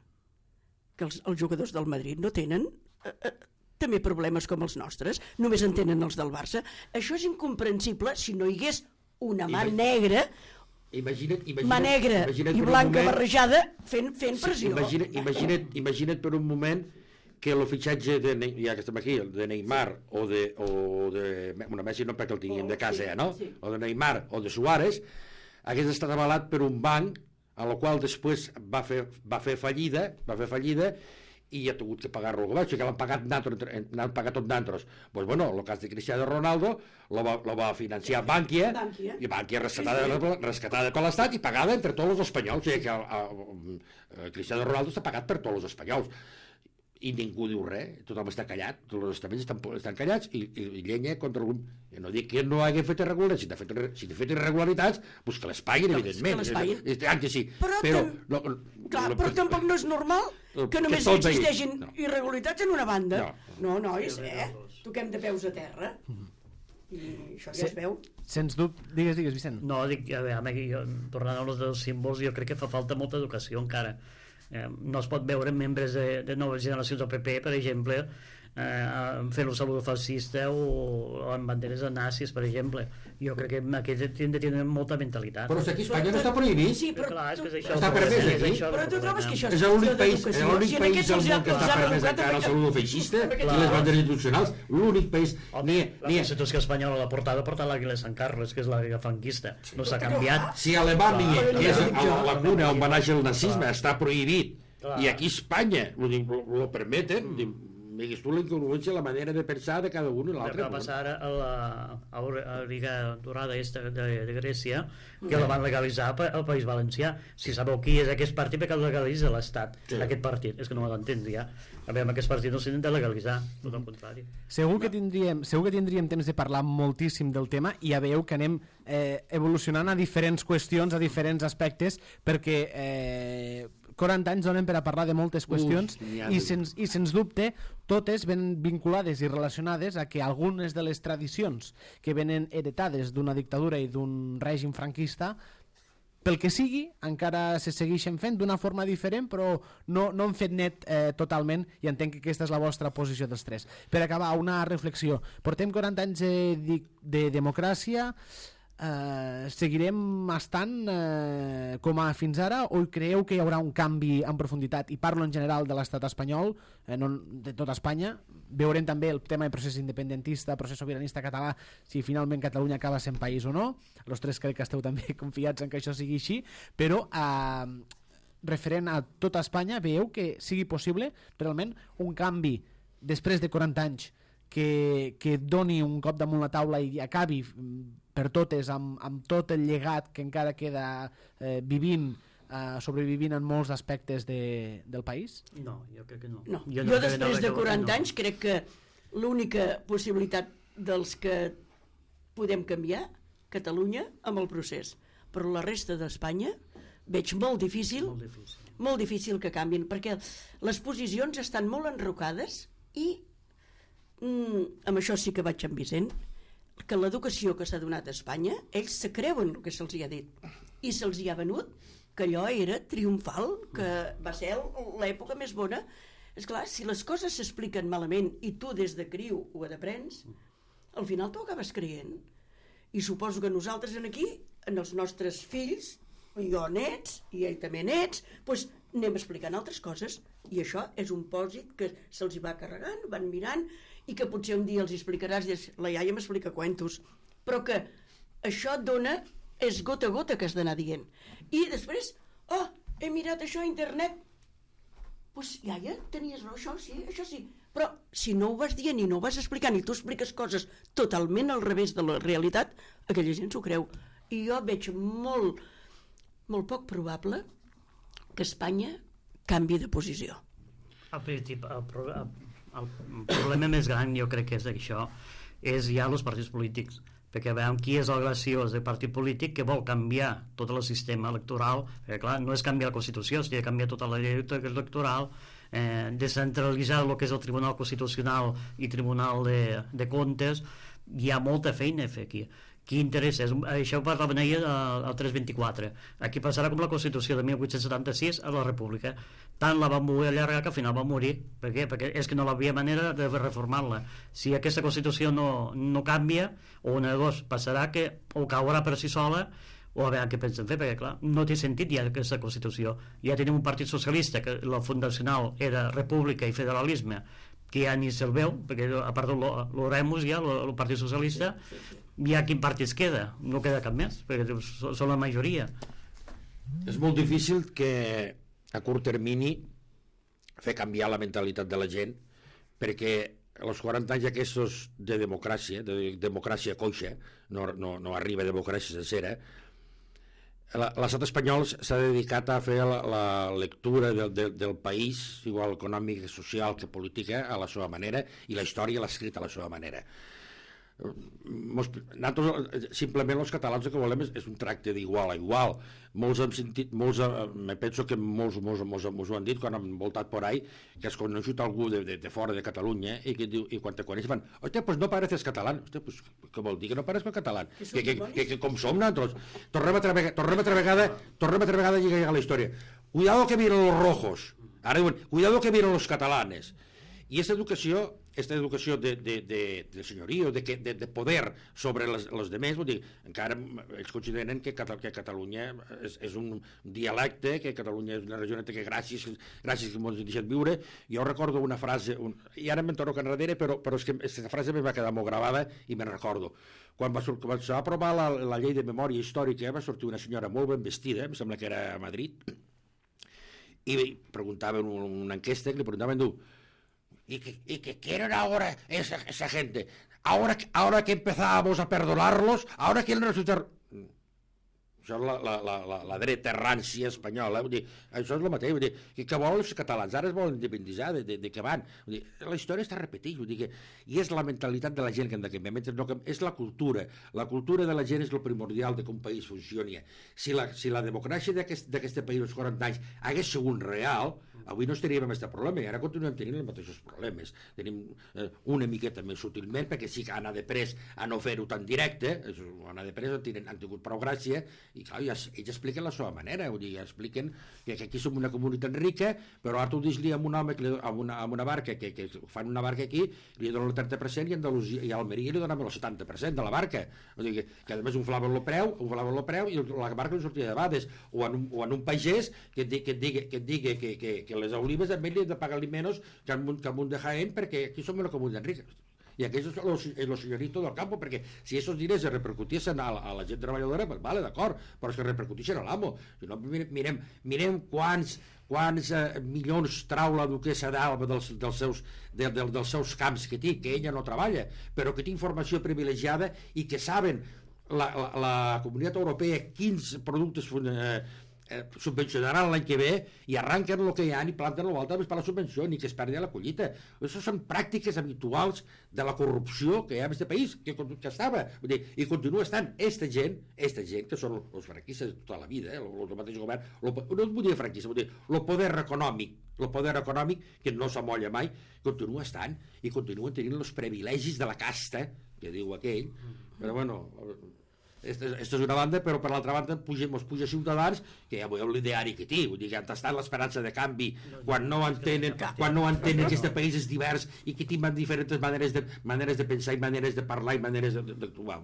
que els, els jugadors del Madrid no tenen eh, eh, també problemes com els nostres, només en tenen els del Barça. Això és incomprensible si no hi hagués una mà Imag- negra, Imagina't, imagina't, mà negra imagina't i per un blanca moment- barrejada fent, fent pressió. Imagina't, imagina't, imagina't per un moment que el fitxatge, de, Ne- ja que estem aquí, de Neymar o de, o de bueno, Messi no perquè el tinguin de casa, Sí, ja, no? sí. O de Neymar o de Suárez, hagués estat avalat per un banc a la qual després va fer, va fer fallida, va fer fallida i ha hagut que pagar-lo el govern, o sigui que l'han pagat, n'han pagat tot d'altres. Pues bueno, el cas de Cristiano Ronaldo lo va, lo va financiar Bankia, Bankia. i Bankia rescatada, rescatada per l'Estat i pagada entre tots els espanyols, o sigui que el, el, el Cristiano Ronaldo està pagat per tots els espanyols. I ningú diu res, tothom està callat, tots els estaments estan, estan callats i, i, i llenya contra algun... I no dic que no hagi fet irregularitats, si n'ha fet, si n'ha fet irregularitats, doncs que les paguin, Que- evidentment. que les paguin. És, és, que sí, Però però... tam- no, Clar, no, però tampoc no és normal que que només tot veí- existeixin no. irregularitats en una banda. No. No, nois, eh? Toquem de peus a terra. I això ja Sí. es veu. Sens dubte, digues, digues, Vicent. No, dic, a veure, aquí, jo, tornant a los dels símbols, jo crec que fa falta molta educació encara. Eh, no es pot veure membres de, de noves generacions del P P, per exemple, eh, fent un saludo fascista o, o amb banderes de nazis, per exemple. Jo crec que aquests han de tenir molta mentalitat. Però si aquí a Espanya no està prohibit. Sí, però, Clar, és que és tu, això, Està el permès problema, aquí? és això el però tu trobes problema. que això És l'únic qüestió país, és d'educació. l'únic Si en país aquests del els món que els està ha permès educat encara el perquè- saludo feixista i Clar. les banderes institucionals. L'únic país... Home, Ni, la ni, Constitució espanyola, la portada porta l'àguila de Sant Carles, que és l'àguila franquista. No s'ha canviat. si a Alemanya, Clar, que és clar. a la cuna on va néixer el nazisme, està prohibit, Clar. i aquí a Espanya ho, ho, ho permeten, mm. digues tu la incongruència, la manera de pensar de cada un i El que l'altre. va passar ara a la, a la Liga Dorada esta de, de Grècia, que la van legalitzar pa- al País Valencià. Si sabeu qui és aquest partit, perquè el legalitza l'Estat, Sí. aquest partit. És que no ho entenc, ja. A veure, amb aquest partit no s'intenta legalitzar, tot el contrari. Segur que, tindríem, segur que tindríem temps de parlar moltíssim del tema i ja veieu que anem eh, evolucionant a diferents qüestions, a diferents aspectes, perquè eh, quaranta anys donen per a parlar de moltes qüestions Uf, n'hi ha i, de- sens, i sens dubte totes ven vinculades i relacionades a que algunes de les tradicions que venen heretades d'una dictadura i d'un règim franquista pel que sigui, encara se segueixen fent d'una forma diferent, però no, no han fet net eh, totalment, i entenc que aquesta és la vostra posició dels tres. Per acabar, una reflexió. Portem quaranta anys de, de, de democràcia, eh, seguirem estant eh, com a fins ara, o creieu que hi haurà un canvi en profunditat? I parlo en general de l'estat espanyol, eh, no de tota Espanya. Veurem també el tema de procés independentista, procés sobiranista català, si finalment Catalunya acaba sent país o no. Els tres crec que esteu també confiats en que això sigui així, però eh, referent a tota Espanya, veieu que sigui possible realment un canvi després de quaranta anys que, que doni un cop damunt la taula i acabi per totes amb, amb tot el llegat que encara queda eh, vivint, eh, sobrevivint en molts aspectes de, del país? No, jo crec que no. No. Jo, no jo crec- després no crec de que- quaranta no. anys crec que l'única possibilitat dels que podem canviar Catalunya amb el procés, però la resta d'Espanya veig molt difícil, Molt difícil. molt difícil que canvin, perquè les posicions estan molt enrocades i mm, amb això sí que vaig amb Vicent, que l'educació que s'ha donat a Espanya, ells se creuen el que se'ls hi ha dit i se'ls hi ha venut que allò era triomfal, que va ser l'època més bona. És clar, si les coses s'expliquen malament i tu des de criu ho aprens, al final t'ho acabes creient. I suposo que nosaltres en aquí, en els nostres fills, jo nets, i ell també nets, doncs anem explicant altres coses, i això és un pòsit que se'ls hi va carregant, van mirant, i que potser un dia els explicaràs, i dius, la iaia m'explica cuentos, però que això dona, és gota a gota que has d'anar dient. I després, oh, he mirat això a internet, pues, iaia, tenies raó, això sí, això sí. Però si no ho vas dient i no ho vas explicant i tu expliques coses totalment al revés de la realitat, aquella gent s'ho creu. I jo veig molt, molt poc probable que Espanya canvi de posició. El, principi, el, el, el problema més gran, jo crec que és això, és ja els partits polítics, perquè veiem qui és el graciós del partit polític que vol canviar tot el sistema electoral, perquè clar, no és canviar la Constitució, és canviar tota la llei electoral, eh, descentralitzar el que és el Tribunal Constitucional i Tribunal de, de Comptes. Hi ha molta feina a fer aquí. Qui interessa? Això ho parlaven ahir al tres vint-i-quatre. Aquí passarà com la Constitució de mil vuit-cents setanta-sis a la República. Tant la van voler allargar que al final va morir. Per què? Perquè és que no hi havia manera de reformar-la. Si aquesta Constitució no, no canvia, o una de dos, passarà que o caurà per si sola, o a veure què pensen fer, perquè clar, no té sentit ja aquesta Constitució. Ja tenim un partit socialista, que la fundacional era república i federalisme, que ja ni se'l veu, perquè a part de l'Oremus ja, el Partit Socialista, sí, sí, sí. Ja quin partit es queda? No queda cap més, perquè són la majoria. És molt difícil que a curt termini fer canviar la mentalitat de la gent, perquè els quaranta anys aquests de democràcia, de democràcia coixa, no, no, no arriba a democràcia sencera, l'estat espanyol s'ha dedicat a fer la, la lectura del, del, del país, igual econòmic, social que política, a la seva manera, i la història l'ha escrit a la seva manera. Nosaltres, simplement els catalans el que volem és, és un tracte d'igual a igual. Molts hem sentit, molts, me penso que molts, molts, molts, molts ho han dit quan han voltat por ahí, que has coneixut algú de, de, de fora de Catalunya i, que diu, i quan te coneix van, hòstia, pues no pareces catalán. Hòstia, pues què vol dir que no parezco catalán? Que, que, que, que com som nosaltres? Tornem altra vegada, tornem altra vegada, tornem altra vegada a llegar a la història. Cuidado que vienen los rojos. Ara diuen, cuidado que vienen los catalanes. I aquesta educació, aquesta educació de, de, de, de senyoria, de, de, de poder sobre les, les demés, vull dir, encara ells consideren que, que Catalunya és, és un dialecte, que Catalunya és una regió que gràcies, gràcies que ens deixen viure. Jo recordo una frase, un, i ara me'n torno enrere, però, però és que aquesta frase me va quedar molt gravada i me'n recordo. Quan va, quan va aprovar la, la llei de memòria històrica, va sortir una senyora molt ben vestida, em sembla que era a Madrid, i preguntaven una enquesta, que li preguntaven, diu, ¿Y que, y que quieren ahora esa, esa gente? Ahora, ahora que empezábamos a perdonarlos, ahora quieren resultar... Això és la, la, la, la dreta rància espanyola, vull dir, això és el mateix, vull dir, que, que volen els catalans, ara es volen independitzar, de, de, de què van, vull dir, la història està repetint, vull dir que, i és la mentalitat de la gent que hem de canviar, mentre no, és la cultura, la cultura de la gent és el primordial de que un país funcioni. Si la, si la democràcia d'aquest país als quaranta anys hagués sigut real, avui no estaríem amb aquest problema, i ara continuem tenint els mateixos problemes. Tenim eh, una miqueta més sutilment, perquè sí que han anat de pres a no fer-ho tan directe, han anat de pres, han, han tingut prou gràcia, i clar, ja, ells expliquen la seva manera, vull dir, expliquen que, que aquí som una comunitat rica, però ara tu dis-li a un home, que li, a, una, a una barca, que, que fan una barca aquí, li donen el trenta per cent i a Andalusia i a Almeria li donen el setanta per cent de la barca. Vull dir, que, que a més inflaven el preu, inflaven el preu i la barca no sortia de bades. O en un, o en un pagès que et, que et digui que, et digui que, que, que les olives a ell li han de pagar-li menys que al munt, que al munt de Jaén, perquè aquí som una comunitat rica. I aquest és el senyorito del campo, perquè si aquests diners es repercuteixen a la, a la gent treballadora, pues vale, d'acord, però es que repercuteixen a l'amo. Si no, mirem, mirem quants, quants eh, milions trau la duquessa d'Alba dels, dels, seus, de, de, dels seus camps que té, que ella no treballa, però que té informació privilegiada i que saben la, la, la Comunitat Europea quins productes eh, Eh, subvencionaran l'any que ve i arranquen el que hi ha i planten l'altre per la subvenció, ni que es perdi la collita. Això són pràctiques habituals de la corrupció que hi ha en aquest país, que, que estava, vull dir, i continua estant. Esta gent, esta gent, que són els franquistes de tota la vida, eh, el mateix govern, lo, no vull dir franquista, vull dir, el poder econòmic, el poder econòmic, que no s'amolla mai, continua estant, i continuen tenint els privilegis de la casta, que diu aquell, però bueno... Aquesta és una banda, però per l'altra banda puja, mos puja Ciutadans, que ja veieu l'ideari que té, vull dir que han tastat l'esperança de canvi quan no entenen, quan no entenen que aquest país és divers i que tenen diferents maneres de, maneres de pensar i maneres de parlar i maneres d'actuar.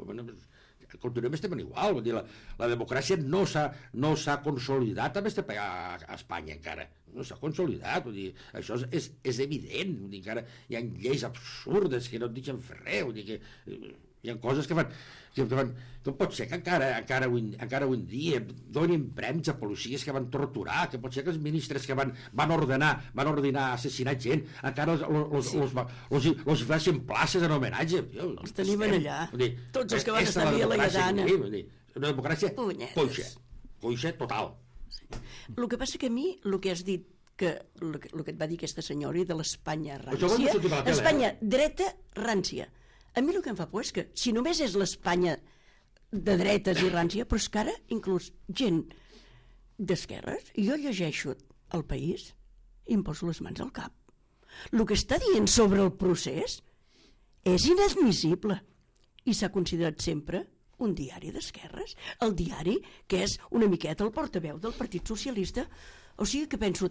Continuem estem igual, vull dir, la, la democràcia no s'ha no s'ha consolidat a, este, a, a Espanya encara, no s'ha consolidat, vull dir, això és, és, és evident, vull dir, encara hi ha lleis absurdes que no et deixen fer res, vull dir que... Hi ha coses que fan... Que fan com pot ser que encara, encara, avui, encara avui dia donin premis a policies que van torturar, que pot ser que els ministres que van, van ordenar van ordenar assassinar gent, encara els, els, sí. els, els, els, els facin places en homenatge. Jo, els tenim allà. Dir, tots els que van estar a la Lleidatana. Una democràcia coixa. Coixa total. Sí. El que passa que a mi, el que has dit, que el que, el que et va dir aquesta senyora de l'Espanya rància, Espanya dreta rància. A mi el que em fa por és que si només és l'Espanya de dretes i rància, però és que ara inclús gent d'esquerres, jo llegeixo El País i em poso les mans al cap. El que està dient sobre el procés és inadmissible i s'ha considerat sempre un diari d'esquerres, el diari que és una miqueta el portaveu del Partit Socialista. O sigui que penso,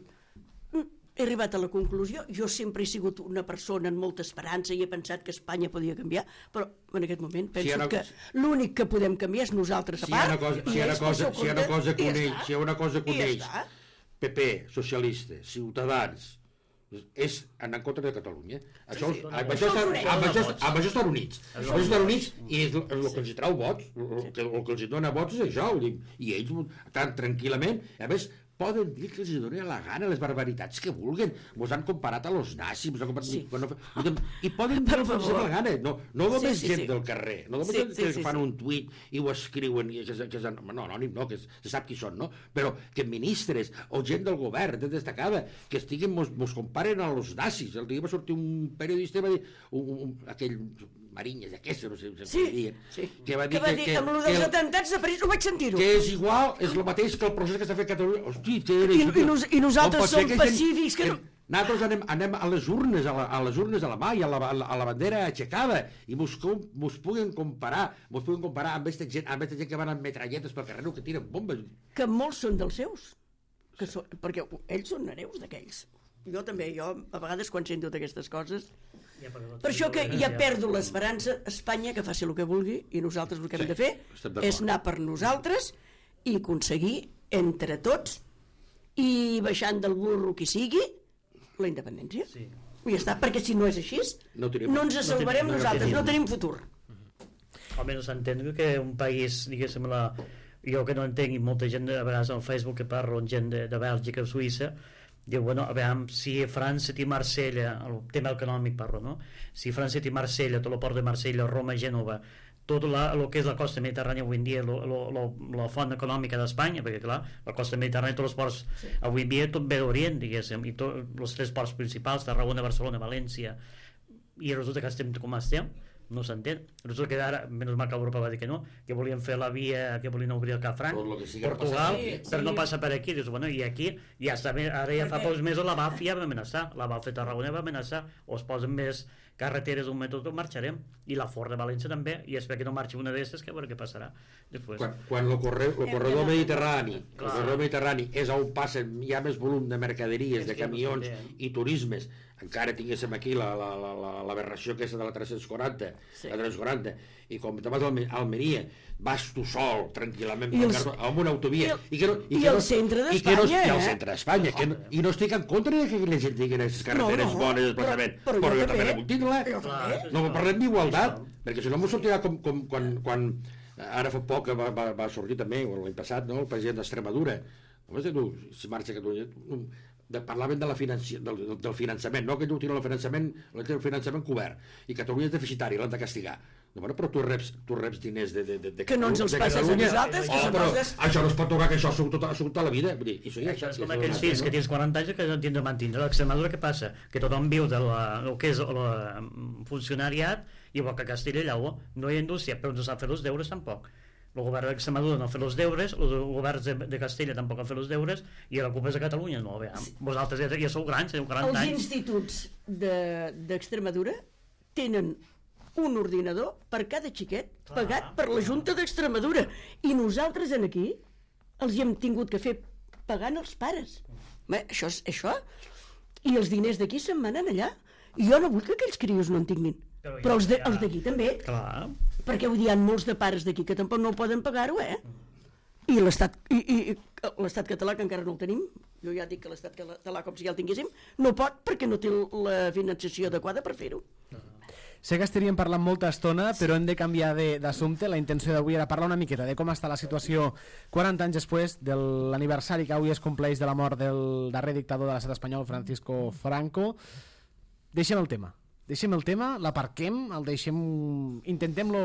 he arribat a la conclusió, jo sempre he sigut una persona amb molta esperança i he pensat que Espanya podia canviar, però en aquest moment penso si una... que l'únic que podem canviar és nosaltres a part. Si hi ha una cosa, si hi ha una cosa que uneix, si hi ha una cosa que uneix P P, socialistes, ciutadans, és anar en contra de Catalunya. Això, sí, sí. Amb, això estan, amb, això, amb això estan units. Amb això estan units i és el, el que els trau vots, el que, el que els dona vots és això, i ells estan tranquil·lament, a més poden dir que els donen la gana les barbaritats que vulguen. Mos han comparat a los nazis, mos han comparat... Sí. Bueno, i poden dir que els la gana. No, no només sí, sí, gent sí. del carrer, no només sí, sí, que sí, fan sí. un tuit i ho escriuen, i que, que, que, no, anònim no, que se sap qui són, no? Però que ministres o gent del govern destacada que estiguen, mos, mos comparen a los nazis. El dia va sortir un periodista i va dir, un, un, aquell... Marinyes, aquesta, no sé si sí, dient, sí. que va dir que, va que, dir, que, amb el dels que, atentats de París ho vaig sentir-ho. Que és igual, és el mateix que el procés que està fent Catalunya. Hosti, que era, I, i, nos, I nosaltres som que pacífics. Que, que no... Nosaltres anem, anem a les urnes, a, la, a les urnes a la mà i a la, a la, a la bandera aixecada, i mos, mos puguen comparar, mos puguen comparar amb aquesta gent, amb aquesta gent que van amb metralletes pel carrer o que tiren bombes. Que molts són dels seus, que són, perquè ells són hereus d'aquells. Jo també, jo a vegades quan sento d'aquestes coses... Ja per això que ja perdo l'esperança, Espanya que faci el que vulgui i nosaltres el que hem sí, de fer és anar per nosaltres i aconseguir entre tots i baixant del burro qui sigui la independència. Sí. I ja està, perquè si no és així no, tenim, no ens salvarem no tenim, nosaltres, no tenim, no tenim futur. Almenys entenc que un país, diguéssim, la... jo que no entenc, i molta gent a vegades al Facebook que parlo amb gent de, de Bèlgica o Suïssa, diu, bueno, a veure, si França té Marsella, el tema econòmic parlo, no? Si França té Marsella, tot el port de Marsella, Roma, Gènova, tot el que és la costa mediterrània avui en dia, lo, lo, lo, la font econòmica d'Espanya, perquè clar, la costa mediterrània, tots els ports, sí. Avui en dia tot ve d'Orient, diguéssim, i tots els tres ports principals, Tarragona, Barcelona, València, i resulta que estem com estem, no s'entén. Resulta que ara, menys mal que Europa va dir que no, que volien fer la via, que volien obrir el Cafran, Portugal, sí, sí. Però no passa per aquí. Dius, bueno, i aquí ja està, ara ja fa pocs mesos la Baf ja va amenaçar, la Baf de Tarragona va amenaçar, o es posen més carreteres d'un mètode, marxarem, i la Ford de València també, i espero que no marxi una d'estes, que a veure què passarà després. Quan, quan el, corre, el corredor mediterrani el corredor mediterrani és on passen hi ha més volum de mercaderies, de camions i turismes, encara tinguéssim aquí la, la, la, la, l'aberració aquesta de la tres-cents quaranta, sí. La tres-cents quaranta, i com te vas a Almeria vas tu sol, tranquil·lament els, amb una autovia i, el, i, que no, i, i que el no, centre d'Espanya no, eh? I el centre d'Espanya que no, i no estic en contra de que la gent tingui aquestes carreteres no, no, bones desplaçament, però, però, però jo també la vull tindre, no parlem d'igualtat perquè si no m'ho sortirà com, com quan, quan ara fa poc va, va, va sortir també l'any passat, no? El president d'Extremadura si marxa a Catalunya de, parlaven de la financi, del, del finançament, no que diu tira el finançament, el finançament cobert, i Catalunya és deficitari, l'han de castigar. No, bueno, però tu reps, tu reps diners de, de, de, de que no ens els passes a nosaltres, oh, però poses... això no es pot tocar, que això ha sigut tota, tota la vida. Vull dir, això, ja, això és com aquells fills que tens quaranta anys que no tens de mantenir. L'Extremadura què passa? Que tothom viu de la, el que és el funcionariat, igual que a Castella i Lleó, no hi ha indústria, però no sap fer els deures tampoc. El govern d'Extremadura no ha fet els deures, els governs de, de Castella tampoc han fet els deures, i la culpa és de Catalunya, no, veiem. Vosaltres ja, ja sou grans, teniu quaranta anys. Els instituts d'Extremadura de, tenen un ordinador per cada xiquet clar, pagat per la Junta d'Extremadura, i nosaltres en aquí els hi hem tingut que fer pagant els pares. Bé, això és això, i els diners d'aquí se'n manen allà, i jo no vull que aquells crios no en tinguin, però, però els d'aquí també. Clar. Perquè vull dir, hi ha molts de pares d'aquí que tampoc no poden pagar-ho, eh? I l'estat i, i, l'estat català, que encara no el tenim, jo ja dic que l'estat català, com si ja el tinguéssim, no pot perquè no té la finançació adequada per fer-ho. Sé que estaríem parlant molta estona, però hem de canviar d'assumpte. La intenció d'avui era parlar una miqueta de com està la situació quaranta anys després de l'aniversari que avui es compleix de la mort del darrer dictador de l'estat espanyol, Francisco Franco. Deixem el tema. Deixem el tema, l'aparquem, el deixem, intentem-lo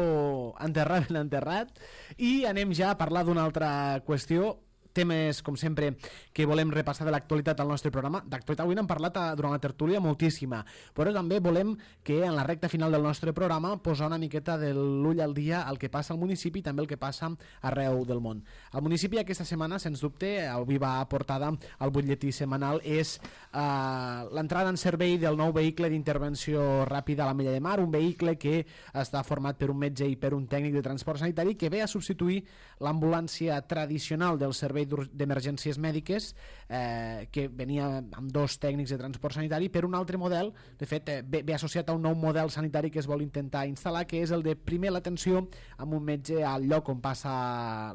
enterrar ben enterrat i anem ja a parlar d'una altra qüestió, temes, com sempre, que volem repassar de l'actualitat al nostre programa. D'actualitat avui n'hem parlat a, durant la tertúlia moltíssima, però també volem que en la recta final del nostre programa posar una miqueta de l'ull al dia al que passa al municipi i també el que passa arreu del món. El municipi aquesta setmana, sens dubte, avui va portada al butlletí setmanal, és eh, l'entrada en servei del nou vehicle d'intervenció ràpida a l'Ametlla de Mar, un vehicle que està format per un metge i per un tècnic de transport sanitari que ve a substituir l'ambulància tradicional del servei d'emergències mèdiques eh, que venia amb dos tècnics de transport sanitari per un altre model, de fet eh, ve, ve associat a un nou model sanitari que es vol intentar instal·lar, que és el de primer l'atenció amb un metge al lloc on passa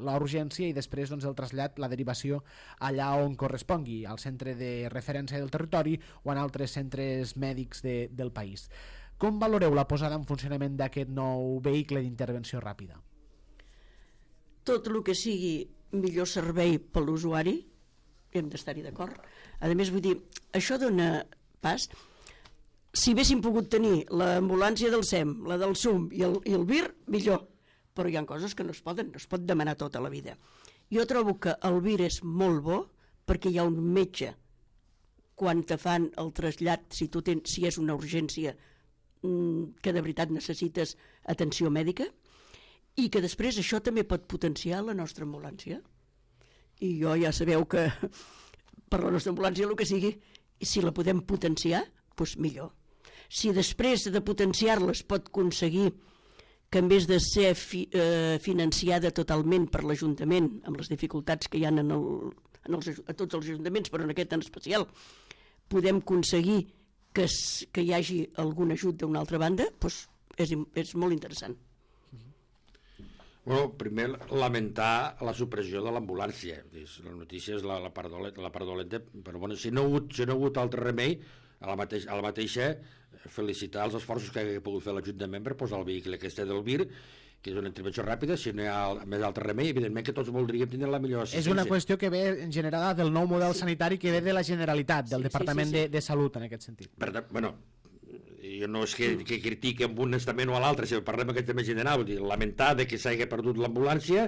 la urgència i després doncs, el trasllat, la derivació allà on correspongui, al centre de referència del territori o en altres centres mèdics de, del país. Com valoreu la posada en funcionament d'aquest nou vehicle d'intervenció ràpida? Tot el que sigui millor servei per l'usuari, hem d'estar-hi d'acord. A més, vull dir, això dona pas. Si haguéssim pogut tenir l'ambulància del S E M, la del S U M i el, i el V I R, millor. Però hi ha coses que no es poden, no es pot demanar tota la vida. Jo trobo que el V I R és molt bo perquè hi ha un metge quan te fan el trasllat, si, tu tens, si és una urgència que de veritat necessites atenció mèdica, i que després això també pot potenciar la nostra ambulància. I jo ja sabeu que per la nostra ambulància el que sigui, si la podem potenciar, doncs millor. Si després de potenciar-la es pot aconseguir que en vez de ser fi, eh, financiada totalment per l'Ajuntament, amb les dificultats que hi ha en el, en els, a tots els ajuntaments, però en aquest en especial, podem aconseguir que, es, que hi hagi algun ajut d'una altra banda, doncs és, és molt interessant. Bueno, primer lamentar la supressió de l'ambulància. La notícia és la, la, part dolenta, la part dolenta, però bueno, si no ha hagut, si no ha hagut altre remei, a la, mateix, a la mateixa felicitar els esforços que ha pogut fer l'Ajuntament per posar el vehicle aquest del V I R, que és una intervenció ràpida. Si no hi ha més altre remei, evidentment que tots voldríem tenir la millor assistència. És una qüestió que ve generada del nou model sí. sanitari que ve de la Generalitat, del sí, Departament sí, sí, sí. De, de Salut, en aquest sentit. Per tant, bueno, jo no és que, que critiqui amb un estament o a l'altre, si parlem aquest tema general, vull dir, lamentar de que s'hagi perdut l'ambulància,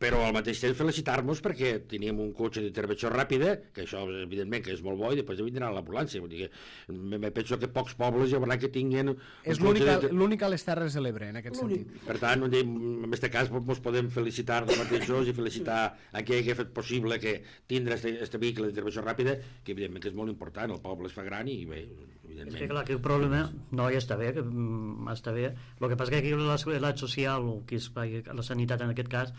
però al mateix temps felicitar-nos perquè teníem un cotxe d'intervenció ràpida, que això evidentment que és molt bo, i després vindrà l'ambulància. Vull dir que me penso que pocs pobles hi haurà que tinguin... És l'única a les Terres de l'Ebre, en aquest sentit. Per tant, en aquest cas ens podem felicitar els mateixos i felicitar a qui hagi fet possible que tindre aquest vehicle d'intervenció ràpida, que evidentment que és molt important, el poble es fa gran i bé... És que clar, que el problema no ja està bé, que està bé. El que passa que aquí la seguretat social, o que és la sanitat en aquest cas,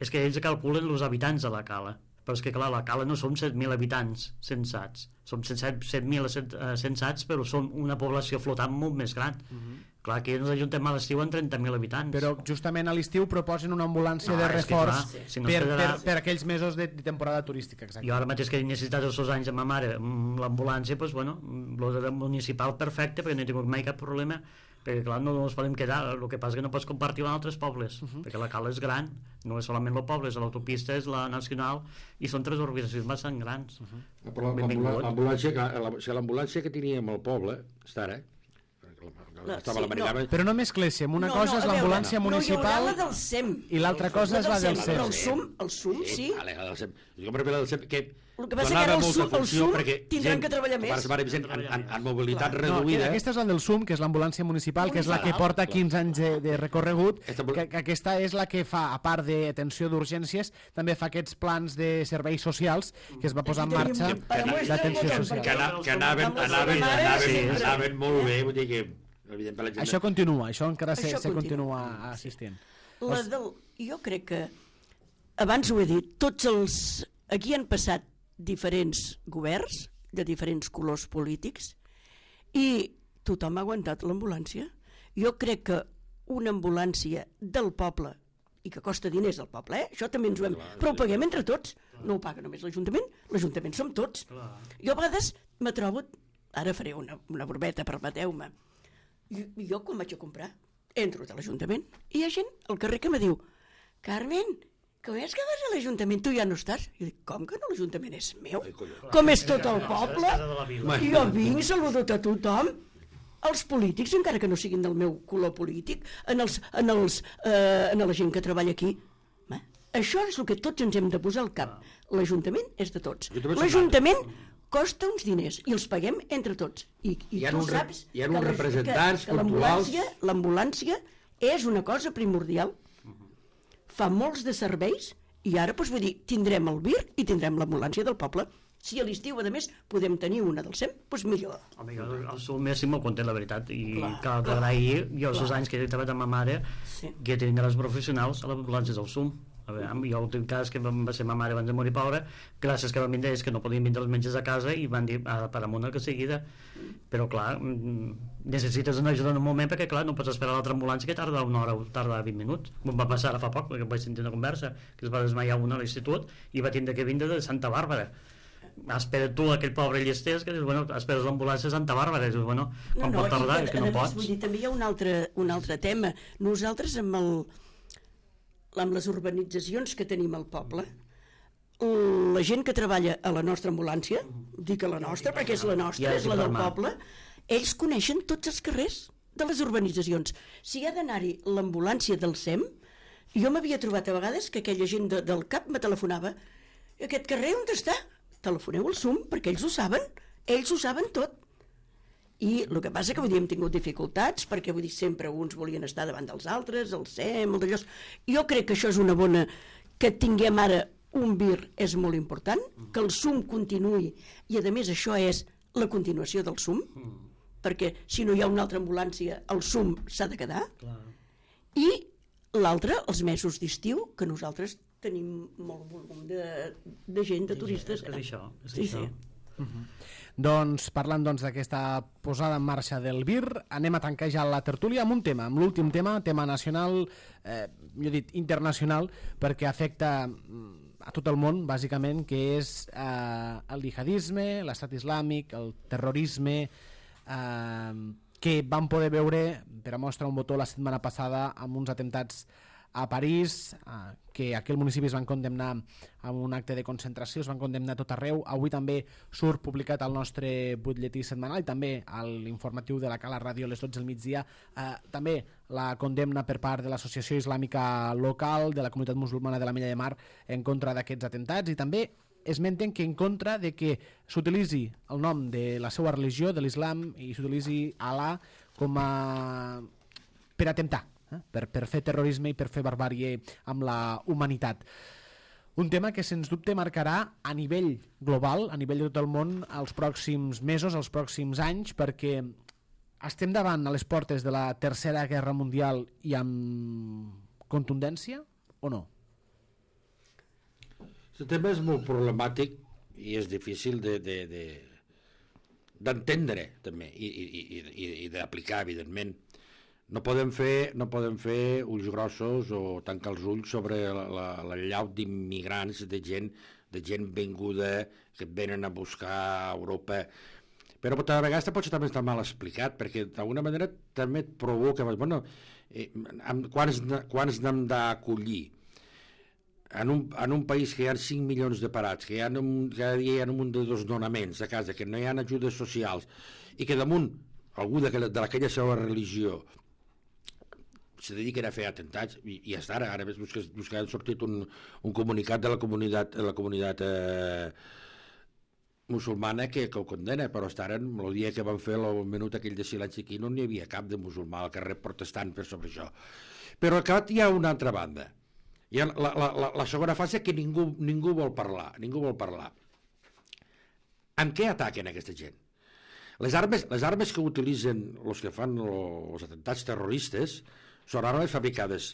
és que ells calculen els habitants de la cala. Però és que clar, la cala no som set mil habitants censats, som set mil censats, però som una població flotant molt més gran. Uh-huh. Clar, aquí ens ajuntem a l'estiu amb trenta mil habitants. Però justament a l'estiu proposen una ambulància no, de reforç que, clar, si no per, quedarà... per, per aquells mesos de, de temporada turística. Exacte. Jo ara mateix que he necessitat els dos anys amb ma mare l'ambulància, doncs bueno, el municipal perfecte, perquè no he tingut mai cap problema, perquè clar, no ens podem quedar, el que passa que no pots compartir amb altres pobles, uh-huh. perquè la cala és gran, no és solament el poble, és l'autopista, és la nacional, i són tres organitzacions bastant grans. Uh-huh. L'ambulància l'ambulància que teníem al poble, està ara, La, estava sí, no. Però no mescléssim, una no, cosa no, és l'ambulància no, municipal no, la del S E M i l'altra cosa és la del S E M. El S U M, el S U M, sí. Vale, la del S E M. Jo me refereixo al S E M, que el que passa que ara el S U M, el S U M tindran que treballar més. En, en, en mobilitat Clar. reduïda... No, aquesta és la del S U M, que és l'ambulància municipal, que és la que porta quinze anys de, de recorregut, que, que aquesta és la que fa, a part d'atenció d'urgències, també fa aquests plans de serveis socials que es va posar en marxa d'atenció social. Que anaven, anaven, anaven, anaven molt bé, vull dir que... Això continua, això encara això se, se continua assistint. La del, jo crec que, abans ho he dit, tots els... Aquí han passat diferents governs, de diferents colors polítics, i tothom ha aguantat l'ambulància. Jo crec que una ambulància del poble, i que costa diners al poble, eh? Això també ens ho hem... Però ho paguem entre tots, no ho paga només l'Ajuntament, l'Ajuntament som tots. Jo a vegades me trobo... Ara faré una, una brorbeta, permeteu-me. I, i jo, quan vaig a comprar, entro a l'Ajuntament i hi ha gent al carrer que me diu Carmen, com és que vas a l'Ajuntament? Tu ja no estàs? I dic, com que no? L'Ajuntament és meu? Com és tot el poble? I jo vinc, saludo a tothom. Els polítics, encara que no siguin del meu color polític, en, els, en, els, eh, en la gent que treballa aquí. Ma, això és el que tots ens hem de posar al cap. L'Ajuntament és de tots. L'Ajuntament costa uns diners i els paguem entre tots. I, i tu saps hi ha uns representants que, que l'ambulància l'ambulància és una cosa primordial. Fa molts de serveis i ara, doncs, vull dir, tindrem el V I R i tindrem l'ambulància del poble. Si a l'estiu, a més, podem tenir una del S E M, doncs millor. Home, jo el sou més si m'ho conté la veritat i clar, cal agrair jo els anys que he treballat amb ma mare sí. que he tingut els professionals a l'ambulància del S U M. A veure, jo l'últim cas que va ser ma mare abans de morir pobra, gràcies que van vindre ells que no podien vindre els metges a casa i van dir a per amunt que seguida, però clar necessites una ajuda en un moment perquè clar no pots esperar l'altra ambulància que tarda una hora o tarda vint minuts. Em va passar ara fa poc perquè vaig sentir una conversa que es va desmaiar una a l'institut i va tindre que vindre de Santa Bàrbara. Espera tu aquell pobre llesters que dius, bueno, esperes l'ambulància a Santa Bàrbara i dius, bueno, quan no, no, pot tardar? És que no pots. Vull dir, també hi ha un altre, un altre tema. Nosaltres amb el amb les urbanitzacions que tenim al poble, la gent que treballa a la nostra ambulància, dic a la nostra perquè és la nostra, és la del poble, ells coneixen tots els carrers de les urbanitzacions. Si hi ha d'anar-hi l'ambulància del S E M, jo m'havia trobat a vegades que aquella gent de, del CAP me telefonava, aquest carrer on està? Telefoneu al S U M perquè ells ho saben, ells ho saben tot. I el que passa que vull dir, hem tingut dificultats perquè vull dir, sempre uns volien estar davant dels altres, el S E M, el d'allò. Jo crec que això és una bona... que tinguem ara un V I R és molt important, que el S U M continuï i a més això és la continuació del S U M, perquè si no hi ha una altra ambulància el S U M s'ha de quedar. Clar. I l'altre, els mesos d'estiu, que nosaltres tenim molt volum de, de gent, de turistes. És, és això, és sí, això. Sí. Uh-huh. Doncs parlant doncs, d'aquesta posada en marxa del V I R, anem a tancar ja la tertúlia amb un tema, amb l'últim tema, tema nacional, eh, jo he dit internacional, perquè afecta a tot el món, bàsicament, que és eh, el jihadisme, l'estat islàmic, el terrorisme, eh, que vam poder veure per a mostra un botó la setmana passada amb uns atemptats a París, eh, que aquell municipi es van condemnar amb un acte de concentració, es van condemnar a tot arreu. Avui també surt publicat al nostre butlletí setmanal i també a l'informatiu de la Cala Ràdio a les dotze del migdia, eh, també la condemna per part de l'Associació Islàmica Local de la Comunitat Musulmana de la Mella de Mar en contra d'aquests atemptats, i també esmenten que en contra de que s'utilitzi el nom de la seva religió, de l'islam, i s'utilitzi Alà com a... per atemptar, eh? per, per fer terrorisme i per fer barbàrie amb la humanitat. Un tema que sens dubte marcarà a nivell global, a nivell de tot el món, els pròxims mesos, els pròxims anys, perquè estem davant a les portes de la Tercera Guerra Mundial i amb contundència o no? El tema és molt problemàtic i és difícil de, de, de, d'entendre també i, i, i, i d'aplicar, evidentment. No podem fer, no podem fer ulls grossos o tancar els ulls sobre la, la, la llau d'immigrants, de gent, de gent venguda que venen a buscar a Europa. Però a vegades potser també està mal explicat, perquè d'alguna manera també et provoca, bueno, eh, quants, quants n'hem d'acollir? En un, en un país que hi ha cinc milions de parats, que hi ha un, cada dia hi ha un munt de desnonaments a casa, que no hi ha ajudes socials, i que damunt algú d'aquella seva religió se dediquen a fer atemptats, i, i hasta ara, ara veus que, que ha sortit un, un comunicat de la comunitat, de la comunitat eh, musulmana que, que ho condena, però hasta ara, el dia que van fer el minut aquell de silenci aquí, no n'hi havia cap de musulmà al carrer protestant per sobre això. Però al cap hi ha una altra banda. Hi ha la, la, la, la segona fase que ningú, ningú vol parlar, ningú vol parlar. Amb què ataquen aquesta gent? Les armes, les armes que utilitzen els que fan els atemptats terroristes són armes fabricades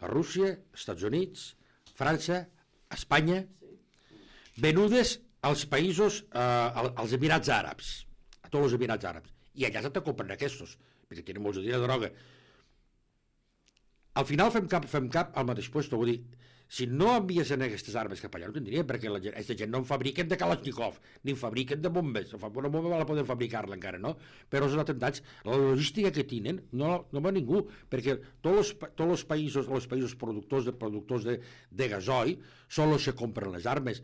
a Rússia, Estats Units, França, Espanya, venudes als països, eh, als Emirats Àrabs, a tots els Emirats Àrabs. I allà se te compren aquests, perquè tenen molts de droga. Al final fem cap, fem cap al mateix lloc, vull dir, si no enviessin aquestes armes cap allà no tindrien, perquè la gent, aquesta gent no en fabriquen de Kalashnikov, ni en fabriquen de bombes. Una bomba la poden fabricar-la encara, no? Però els atemptats, la logística que tenen no, no va ningú, perquè tots els, tots els països, els països productors de productors de, de gasoil són els que compren les armes.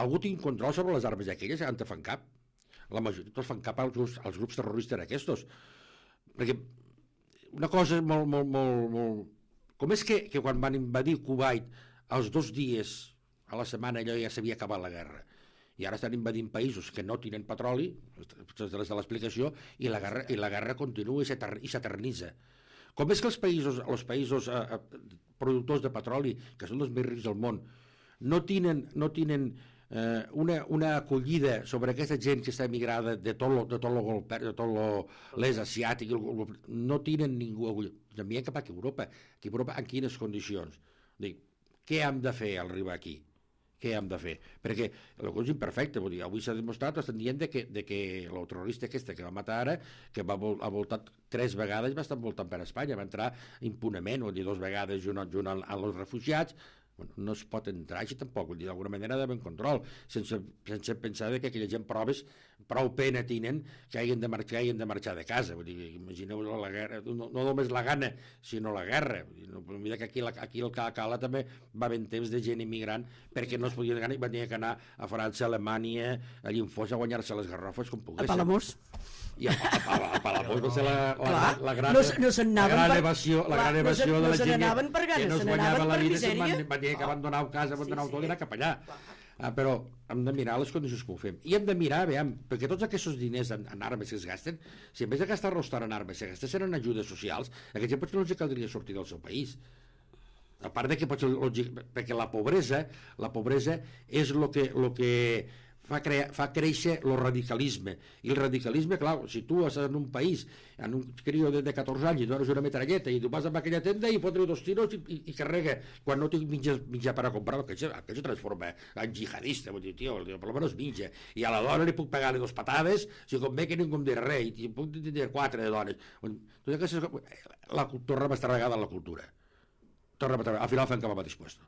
Algú tinc control sobre les armes aquelles que han de fan cap? La majoria tots fan cap als grups, als grups terroristes aquests. Perquè una cosa molt, molt, molt, molt... Com és que, que quan van invadir Kuwait, als dos dies a la setmana allò ja s'havia acabat la guerra, i ara estan invadint països que no tenen petroli, des de l'explicació, i la guerra, i la guerra continua i s'eternitza. Com és que els països, els països eh, productors de petroli, que són els més rics del món, no tenen, no tenen eh, una, una acollida sobre aquesta gent que està emigrada de tot lo, de tot lo, de tot lo, l'est asiàtic, no tenen ningú acollida. Envien cap a Europa. Aquí a Europa, en quines condicions? Dic, què hem de fer al arribar aquí? Què hem de fer? Perquè la cosa és imperfecta. Vull dir, avui s'ha demostrat, estan dient de que, de que el terrorista aquesta que va matar ara, que va vol, ha voltat tres vegades, va estar voltant per Espanya, va entrar impunament, vull dir, dos vegades junt, junt als refugiats. Bueno, no es pot entrar així tampoc, vull dir, d'alguna manera ha d'haver un control, sense, sense pensar que aquella gent proves, prou pena tenen que hagin de marxar, hagin de marxar de casa. Vull dir, imagineu la guerra, no, no només la gana, sinó la guerra. Vull dir, no, mira que aquí, la, aquí el Cala també va haver temps de gent immigrant perquè no es podien anar i van tenir que anar a França, a Alemanya, a Llinfós a guanyar-se les garrofes com poguessin. A Palamós. I a, a, a Palamós va ser la, la, la, la gran, no, no la gran per, evasió, la clar, gran evasió no de la gent no per que no es guanyava la vida, se'n van, van dir que ah. abandonar casa, abandonar sí, tot sí. I anar cap allà. Ah, però hem de mirar les condicions que ho fem. I hem de mirar, veiem, perquè tots aquests diners en, en armes que es gasten, si en vez de gastar-los en armes, si gastessin en ajudes socials, aquest gent potser no els caldria sortir del seu país. A part de que potser, perquè la pobresa, la pobresa és el que, lo que fa, crea, fa créixer el radicalisme. I el radicalisme, clar, si tu estàs en un país, en un crió de, de catorze anys i dones una metralleta i tu vas a aquella tenda i fotre dos tiros i, i, i carrega, quan no tinc mitja, mitja per a comprar, que això, que això transforma en jihadista, vull dir, tio, per almenys mitja, i a la dona li puc pegar-li dos patades, si convé que ningú em dirà res, i puc dir quatre de dones. Tot aquestes, la, tornem a estar regada en la cultura. Tornem a estar, al final fem cap al mateix puesto.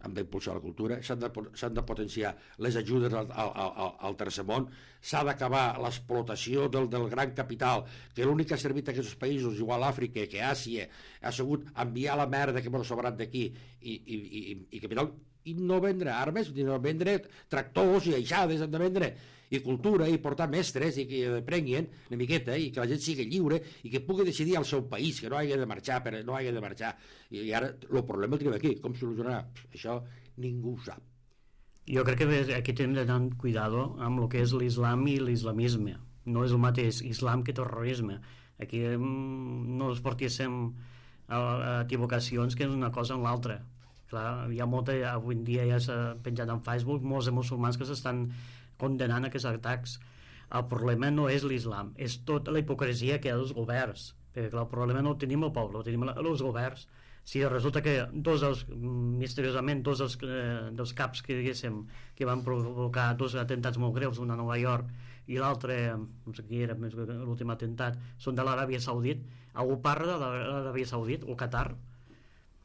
Hem d'impulsar la cultura, s'han de, s'han de potenciar les ajudes al, al, al, al tercer món, s'ha d'acabar l'explotació del, del gran capital, que l'únic que ha servit a aquests països, igual Àfrica que Àsia, ha sigut enviar la merda que m'ha sobrat d'aquí i, i, i, i capital, i no vendre armes, no vendre tractors i aixades, hem de vendre i cultura, i portar mestres, i que aprenguin una miqueta, i que la gent sigui lliure, i que pugui decidir al seu país, que no hagi de marxar, però no hagi de marxar. I ara el problema el tenim aquí, com solucionarà? Això ningú ho sap. Jo crec que aquí hem de tenir cuidado amb el que és l'islam i l'islamisme. No és el mateix islam que terrorisme. Aquí no es portéssim a equivocacions que és una cosa en l'altra. Clar, hi ha molta, avui en dia ja s'ha penjat en Facebook molts de musulmans que s'estan condenant aquests atacs. El problema no és l'islam, és tota la hipocresia que hi ha dels governs, perquè clar, el problema no el tenim el poble, el tenim els governs. Si resulta que dos dels, misteriosament, dos dels, eh, dels caps que diguéssim que van provocar dos atentats molt greus, un a Nova York i l'altre, no sé qui era l'últim atemptat, són de l'Aràbia Saudita, algú parla de l'Aràbia Saudita o Qatar?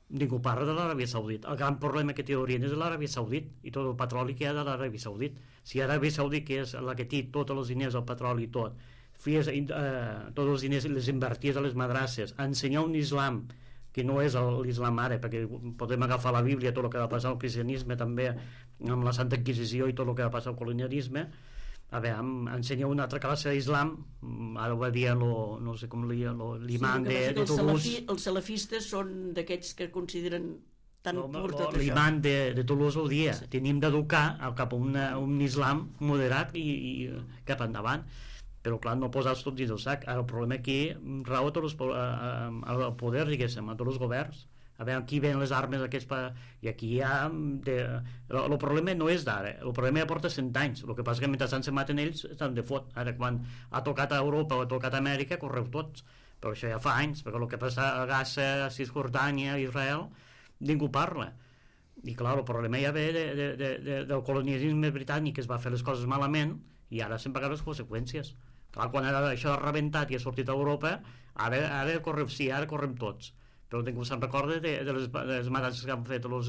Ningú parla de l'Aràbia Saudita. El gran problema que té Orient és l'Aràbia Saudita i tot el petroli que hi ha de l'Aràbia Saudita. Si l'Aràbia Saudita, que és la que té tots els diners, el petroli i tot, fies, eh, tots els diners les inverties a les madrasses, a ensenyar un islam que no és l'islam ara, perquè podem agafar la Bíblia, tot el que va passar al cristianisme també, amb la Santa Inquisició i tot el que va passar al colonialisme, a veure, ensenya una altra classe d'islam, ara ho va dir lo, no sé com l'imam sí, de, de Toulouse. Els, els salafistes són d'aquests que consideren tan no, pur tot això. L'imam de, de Toulouse ho dia, sí. Tenim d'educar cap a una, un islam moderat i, i cap endavant, però clar, no posar-se tot dins del sac. Ara el problema aquí rau a tots els, a, a, a poder, diguéssim, a tots els governs. A veure, aquí ven les armes aquests pa... i aquí hi ha de... el, el problema no és d'ara, el problema ja porta cent anys, el que passa que mentre se maten ells estan de fot. Ara quan ha tocat a Europa o ha tocat a Amèrica correu tots, però això ja fa anys, perquè el que passa a Gaza, a Cisjordània, a Israel ningú parla, i clar, el problema ja ve de, de, de, de, del colonialisme britànic, que es va fer les coses malament i ara se'n paguen les conseqüències. Clar, quan ara això ha rebentat i ha sortit a Europa, ara, ara correu, sí, ara correm tots, però ningú se'n recorda de, de, les, de les matances que han fet els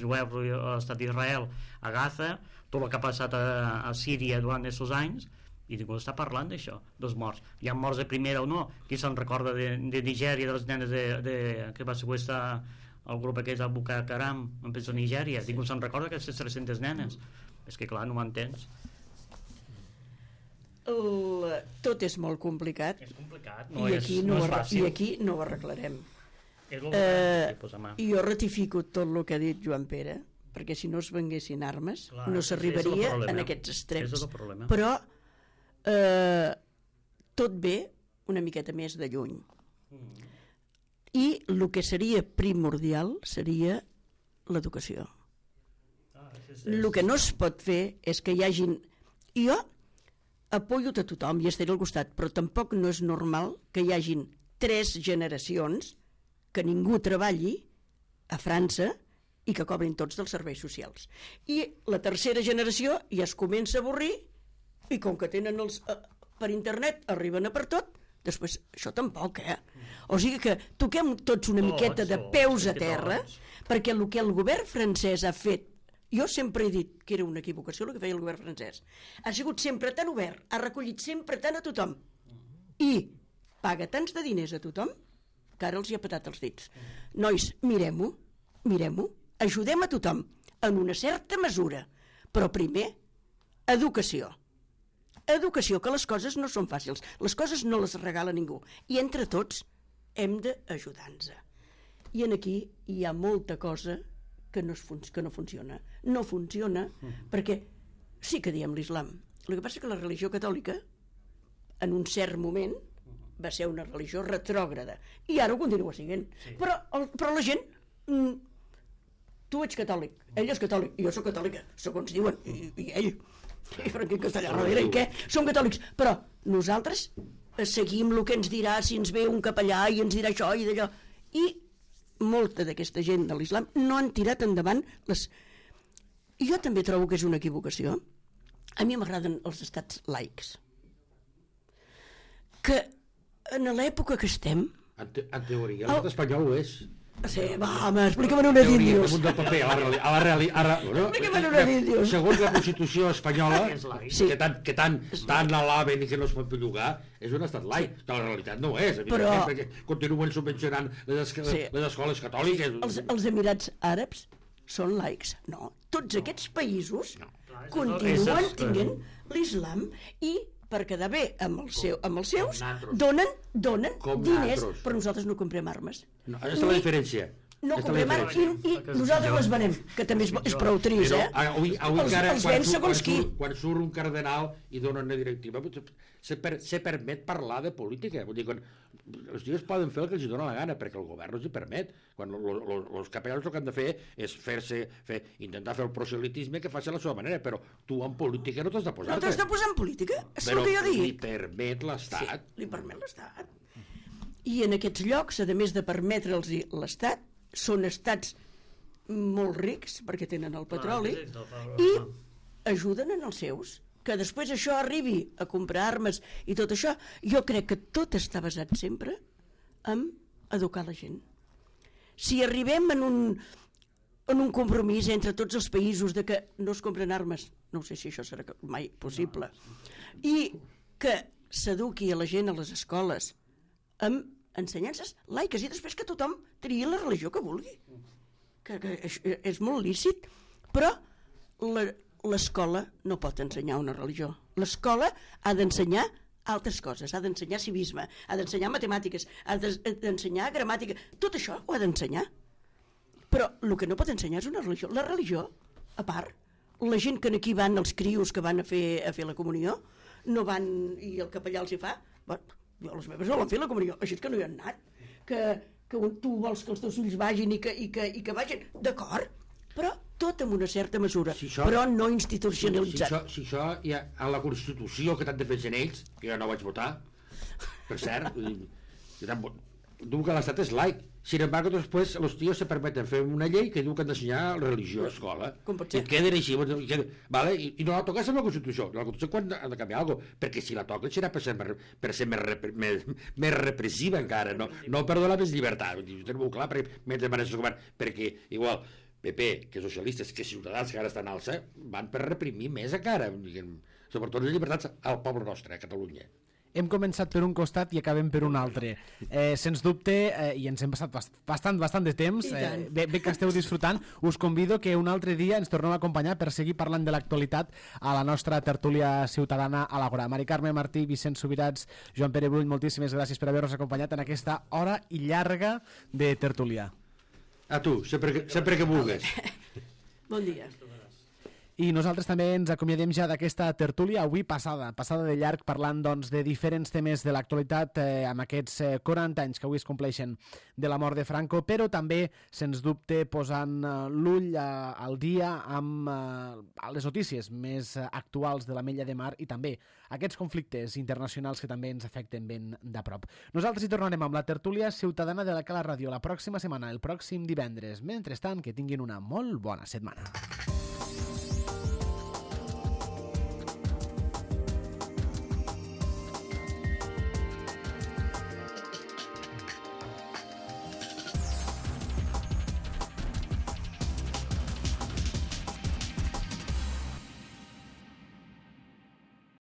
jueus a l'estat d'Israel, a Gaza, tot el que ha passat a, a Síria durant aquests anys, i ningú està parlant d'això, dels morts. Hi ha morts de primera o no? Qui se'n recorda de, de Nigèria, de les nenes de, de, que va seqüestrar el grup aquest del Boko Haram en penso a Nigèria? Sí. Ningú se'n recorda aquestes tres-centes nenes? És que clar, no m'entens. El, tot és molt complicat, és complicat no i, és, aquí no no és ho, fàcil. i aquí no ho arreglarem. És el eh, que i jo ratifico tot el que ha dit Joan Pere, perquè si no es venguessin armes clar, no s'arribaria en aquests extrems, però eh, tot ve una miqueta més de lluny, mm. i el que seria primordial seria l'educació. ah, és, és... el que no es pot fer és que hi hagin, jo apoyo a tothom i estaré al costat, però tampoc no és normal que hi hagin tres generacions que ningú treballi a França i que cobrin tots dels serveis socials. I la tercera generació ja es comença a avorrir i com que tenen els, eh, per internet arriben a per tot, després això tampoc, eh? O sigui que toquem tots una miqueta de peus a terra, perquè el que el govern francès ha fet, jo sempre he dit que era una equivocació el que feia el govern francès, ha sigut sempre tan obert, ha recollit sempre tant a tothom i paga tants de diners a tothom que ara els hi ha petat els dits. Nois, mirem-ho, mirem-ho, ajudem a tothom en una certa mesura, però primer educació. Educació, que les coses no són fàcils, les coses no les regala ningú, i entre tots hem d'ajudar-nos. I en aquí hi ha molta cosa que no, es fun que no funciona. No funciona perquè sí que diem l'islam. El que passa és que la religió catòlica, en un cert moment, va ser una religió retrògrada, i ara ho continua sent. Sí. Però, el, però la gent... Mm, tu ets catòlic, ell és catòlic, i jo soc catòlica, segons diuen, i, i ell, i Franquí Castellà darrere, i què? Som catòlics, però nosaltres seguim el que ens dirà si ens ve un capellà i ens dirà això i d'allò, i molta d'aquesta gent de l'islam no han tirat endavant les... I jo també trobo que és una equivocació. A mi m'agraden els estats laics, que en l'època que estem... En, te en teoria, l'estat espanyol ho és. Sí, va, home, explica-me'n una d'índios. A la realitat... Explica-me'n una d'índios. Segons la Constitució espanyola, sí. que tant, que tant, tant alaben i que no es pot bellugar, és un estat laic, sí. Que la realitat no és, però... perquè continuen subvencionant les, escoles, sí. les escoles catòliques. Els, els Emirats Àrabs són laics? No. Tots aquests països no. continuen tenint l'islam i per quedar bé amb, el seu, amb els seus donen, donen diners, natros. Però nosaltres no comprem armes. No, aquesta és la diferència. No comprem armes i, i nosaltres les venem, que també és, és prou trist, eh? Avui, avui els, cara, els quan, ven segons qui. Quan surt un cardenal i dona una directiva, se, per, se permet parlar de política. Vull dir, quan, els dies poden fer el que els dona la gana, perquè el govern no els hi permet. Quan els capellans el que han de fer és fer-se, fer, intentar fer el proselitisme que faci a la seva manera, però tu en política no t'has de posar. No t'has de posar en política? És el que jo dic. Li permet l'Estat. Sí, li permet l'Estat. I en aquests llocs, a més de permetre'ls l'Estat, són estats molt rics, perquè tenen el petroli, i ajuden en els seus. Que després això arribi a comprar armes i tot això, jo crec que tot està basat sempre en educar la gent. Si arribem en un, en un compromís entre tots els països de que no es compren armes, no sé si això serà mai possible, i que s'eduqui a la gent a les escoles amb ensenyances laiques i després que tothom triï la religió que vulgui, que, que és molt lícit, però la l'escola no pot ensenyar una religió. L'escola ha d'ensenyar altres coses, ha d'ensenyar civisme, ha d'ensenyar matemàtiques, ha d'ensenyar gramàtica, tot això ho ha d'ensenyar. Però el que no pot ensenyar és una religió. La religió, a part, la gent que aquí van, els crios que van a fer, a fer la comunió, no van, i el capellà els hi fa, bueno, jo les meves no l'han fet la comunió, així és que no hi han anat, que, que tu vols que els teus fills vagin i que, i que, i que vagin, d'acord, però tot amb una certa mesura, si això, però no institucionalitzat. Si, si, això, si això hi ha a la Constitució que tant defensen ells, que jo no vaig votar, per cert, jo tant, diu que l'estat és laic. Sin embargo, después los tíos se permeten fer una llei que diu que han d'ensenyar religió a escola. Com pot ser? I queden així, i queden, vale? I, i no la toques amb la Constitució. La Constitució quan ha de canviar alguna cosa, perquè si la toquen serà per ser, per ser més, repre, més, més repressiva encara, no, no per donar més llibertat. Jo teniu clar, perquè mentre van el govern, perquè igual P P, que socialistes, que Ciutadans, que ara estan alça, van per reprimir més encara, diguem, sobretot les llibertats al poble nostre, a Catalunya. Hem començat per un costat i acabem per un altre. Eh, sens dubte, eh, i ens hem passat bastant, bastant de temps, eh, bé, bé que esteu disfrutant, us convido que un altre dia ens tornem a acompanyar per seguir parlant de l'actualitat a la nostra tertúlia ciutadana a l'Àgora. Mari Carme Martí, Vicent Subirats, Joan Pere Brull, moltíssimes gràcies per haver-nos acompanyat en aquesta hora i llarga de tertúlia. A tu, sempre que, sempre que vulguis. Bon dia. I nosaltres també ens acomiadem ja d'aquesta tertúlia avui passada, passada de llarg, parlant doncs, de diferents temes de l'actualitat eh, amb aquests eh, quaranta anys que avui es compleixen de la mort de Franco, però també, sens dubte, posant eh, l'ull eh, al dia amb eh, les notícies més eh, actuals de l'Ametlla de Mar i també aquests conflictes internacionals que també ens afecten ben de prop. Nosaltres hi tornarem amb la tertúlia ciutadana de la Cala Ràdio la pròxima setmana, el pròxim divendres. Mentrestant, que tinguin una molt bona setmana.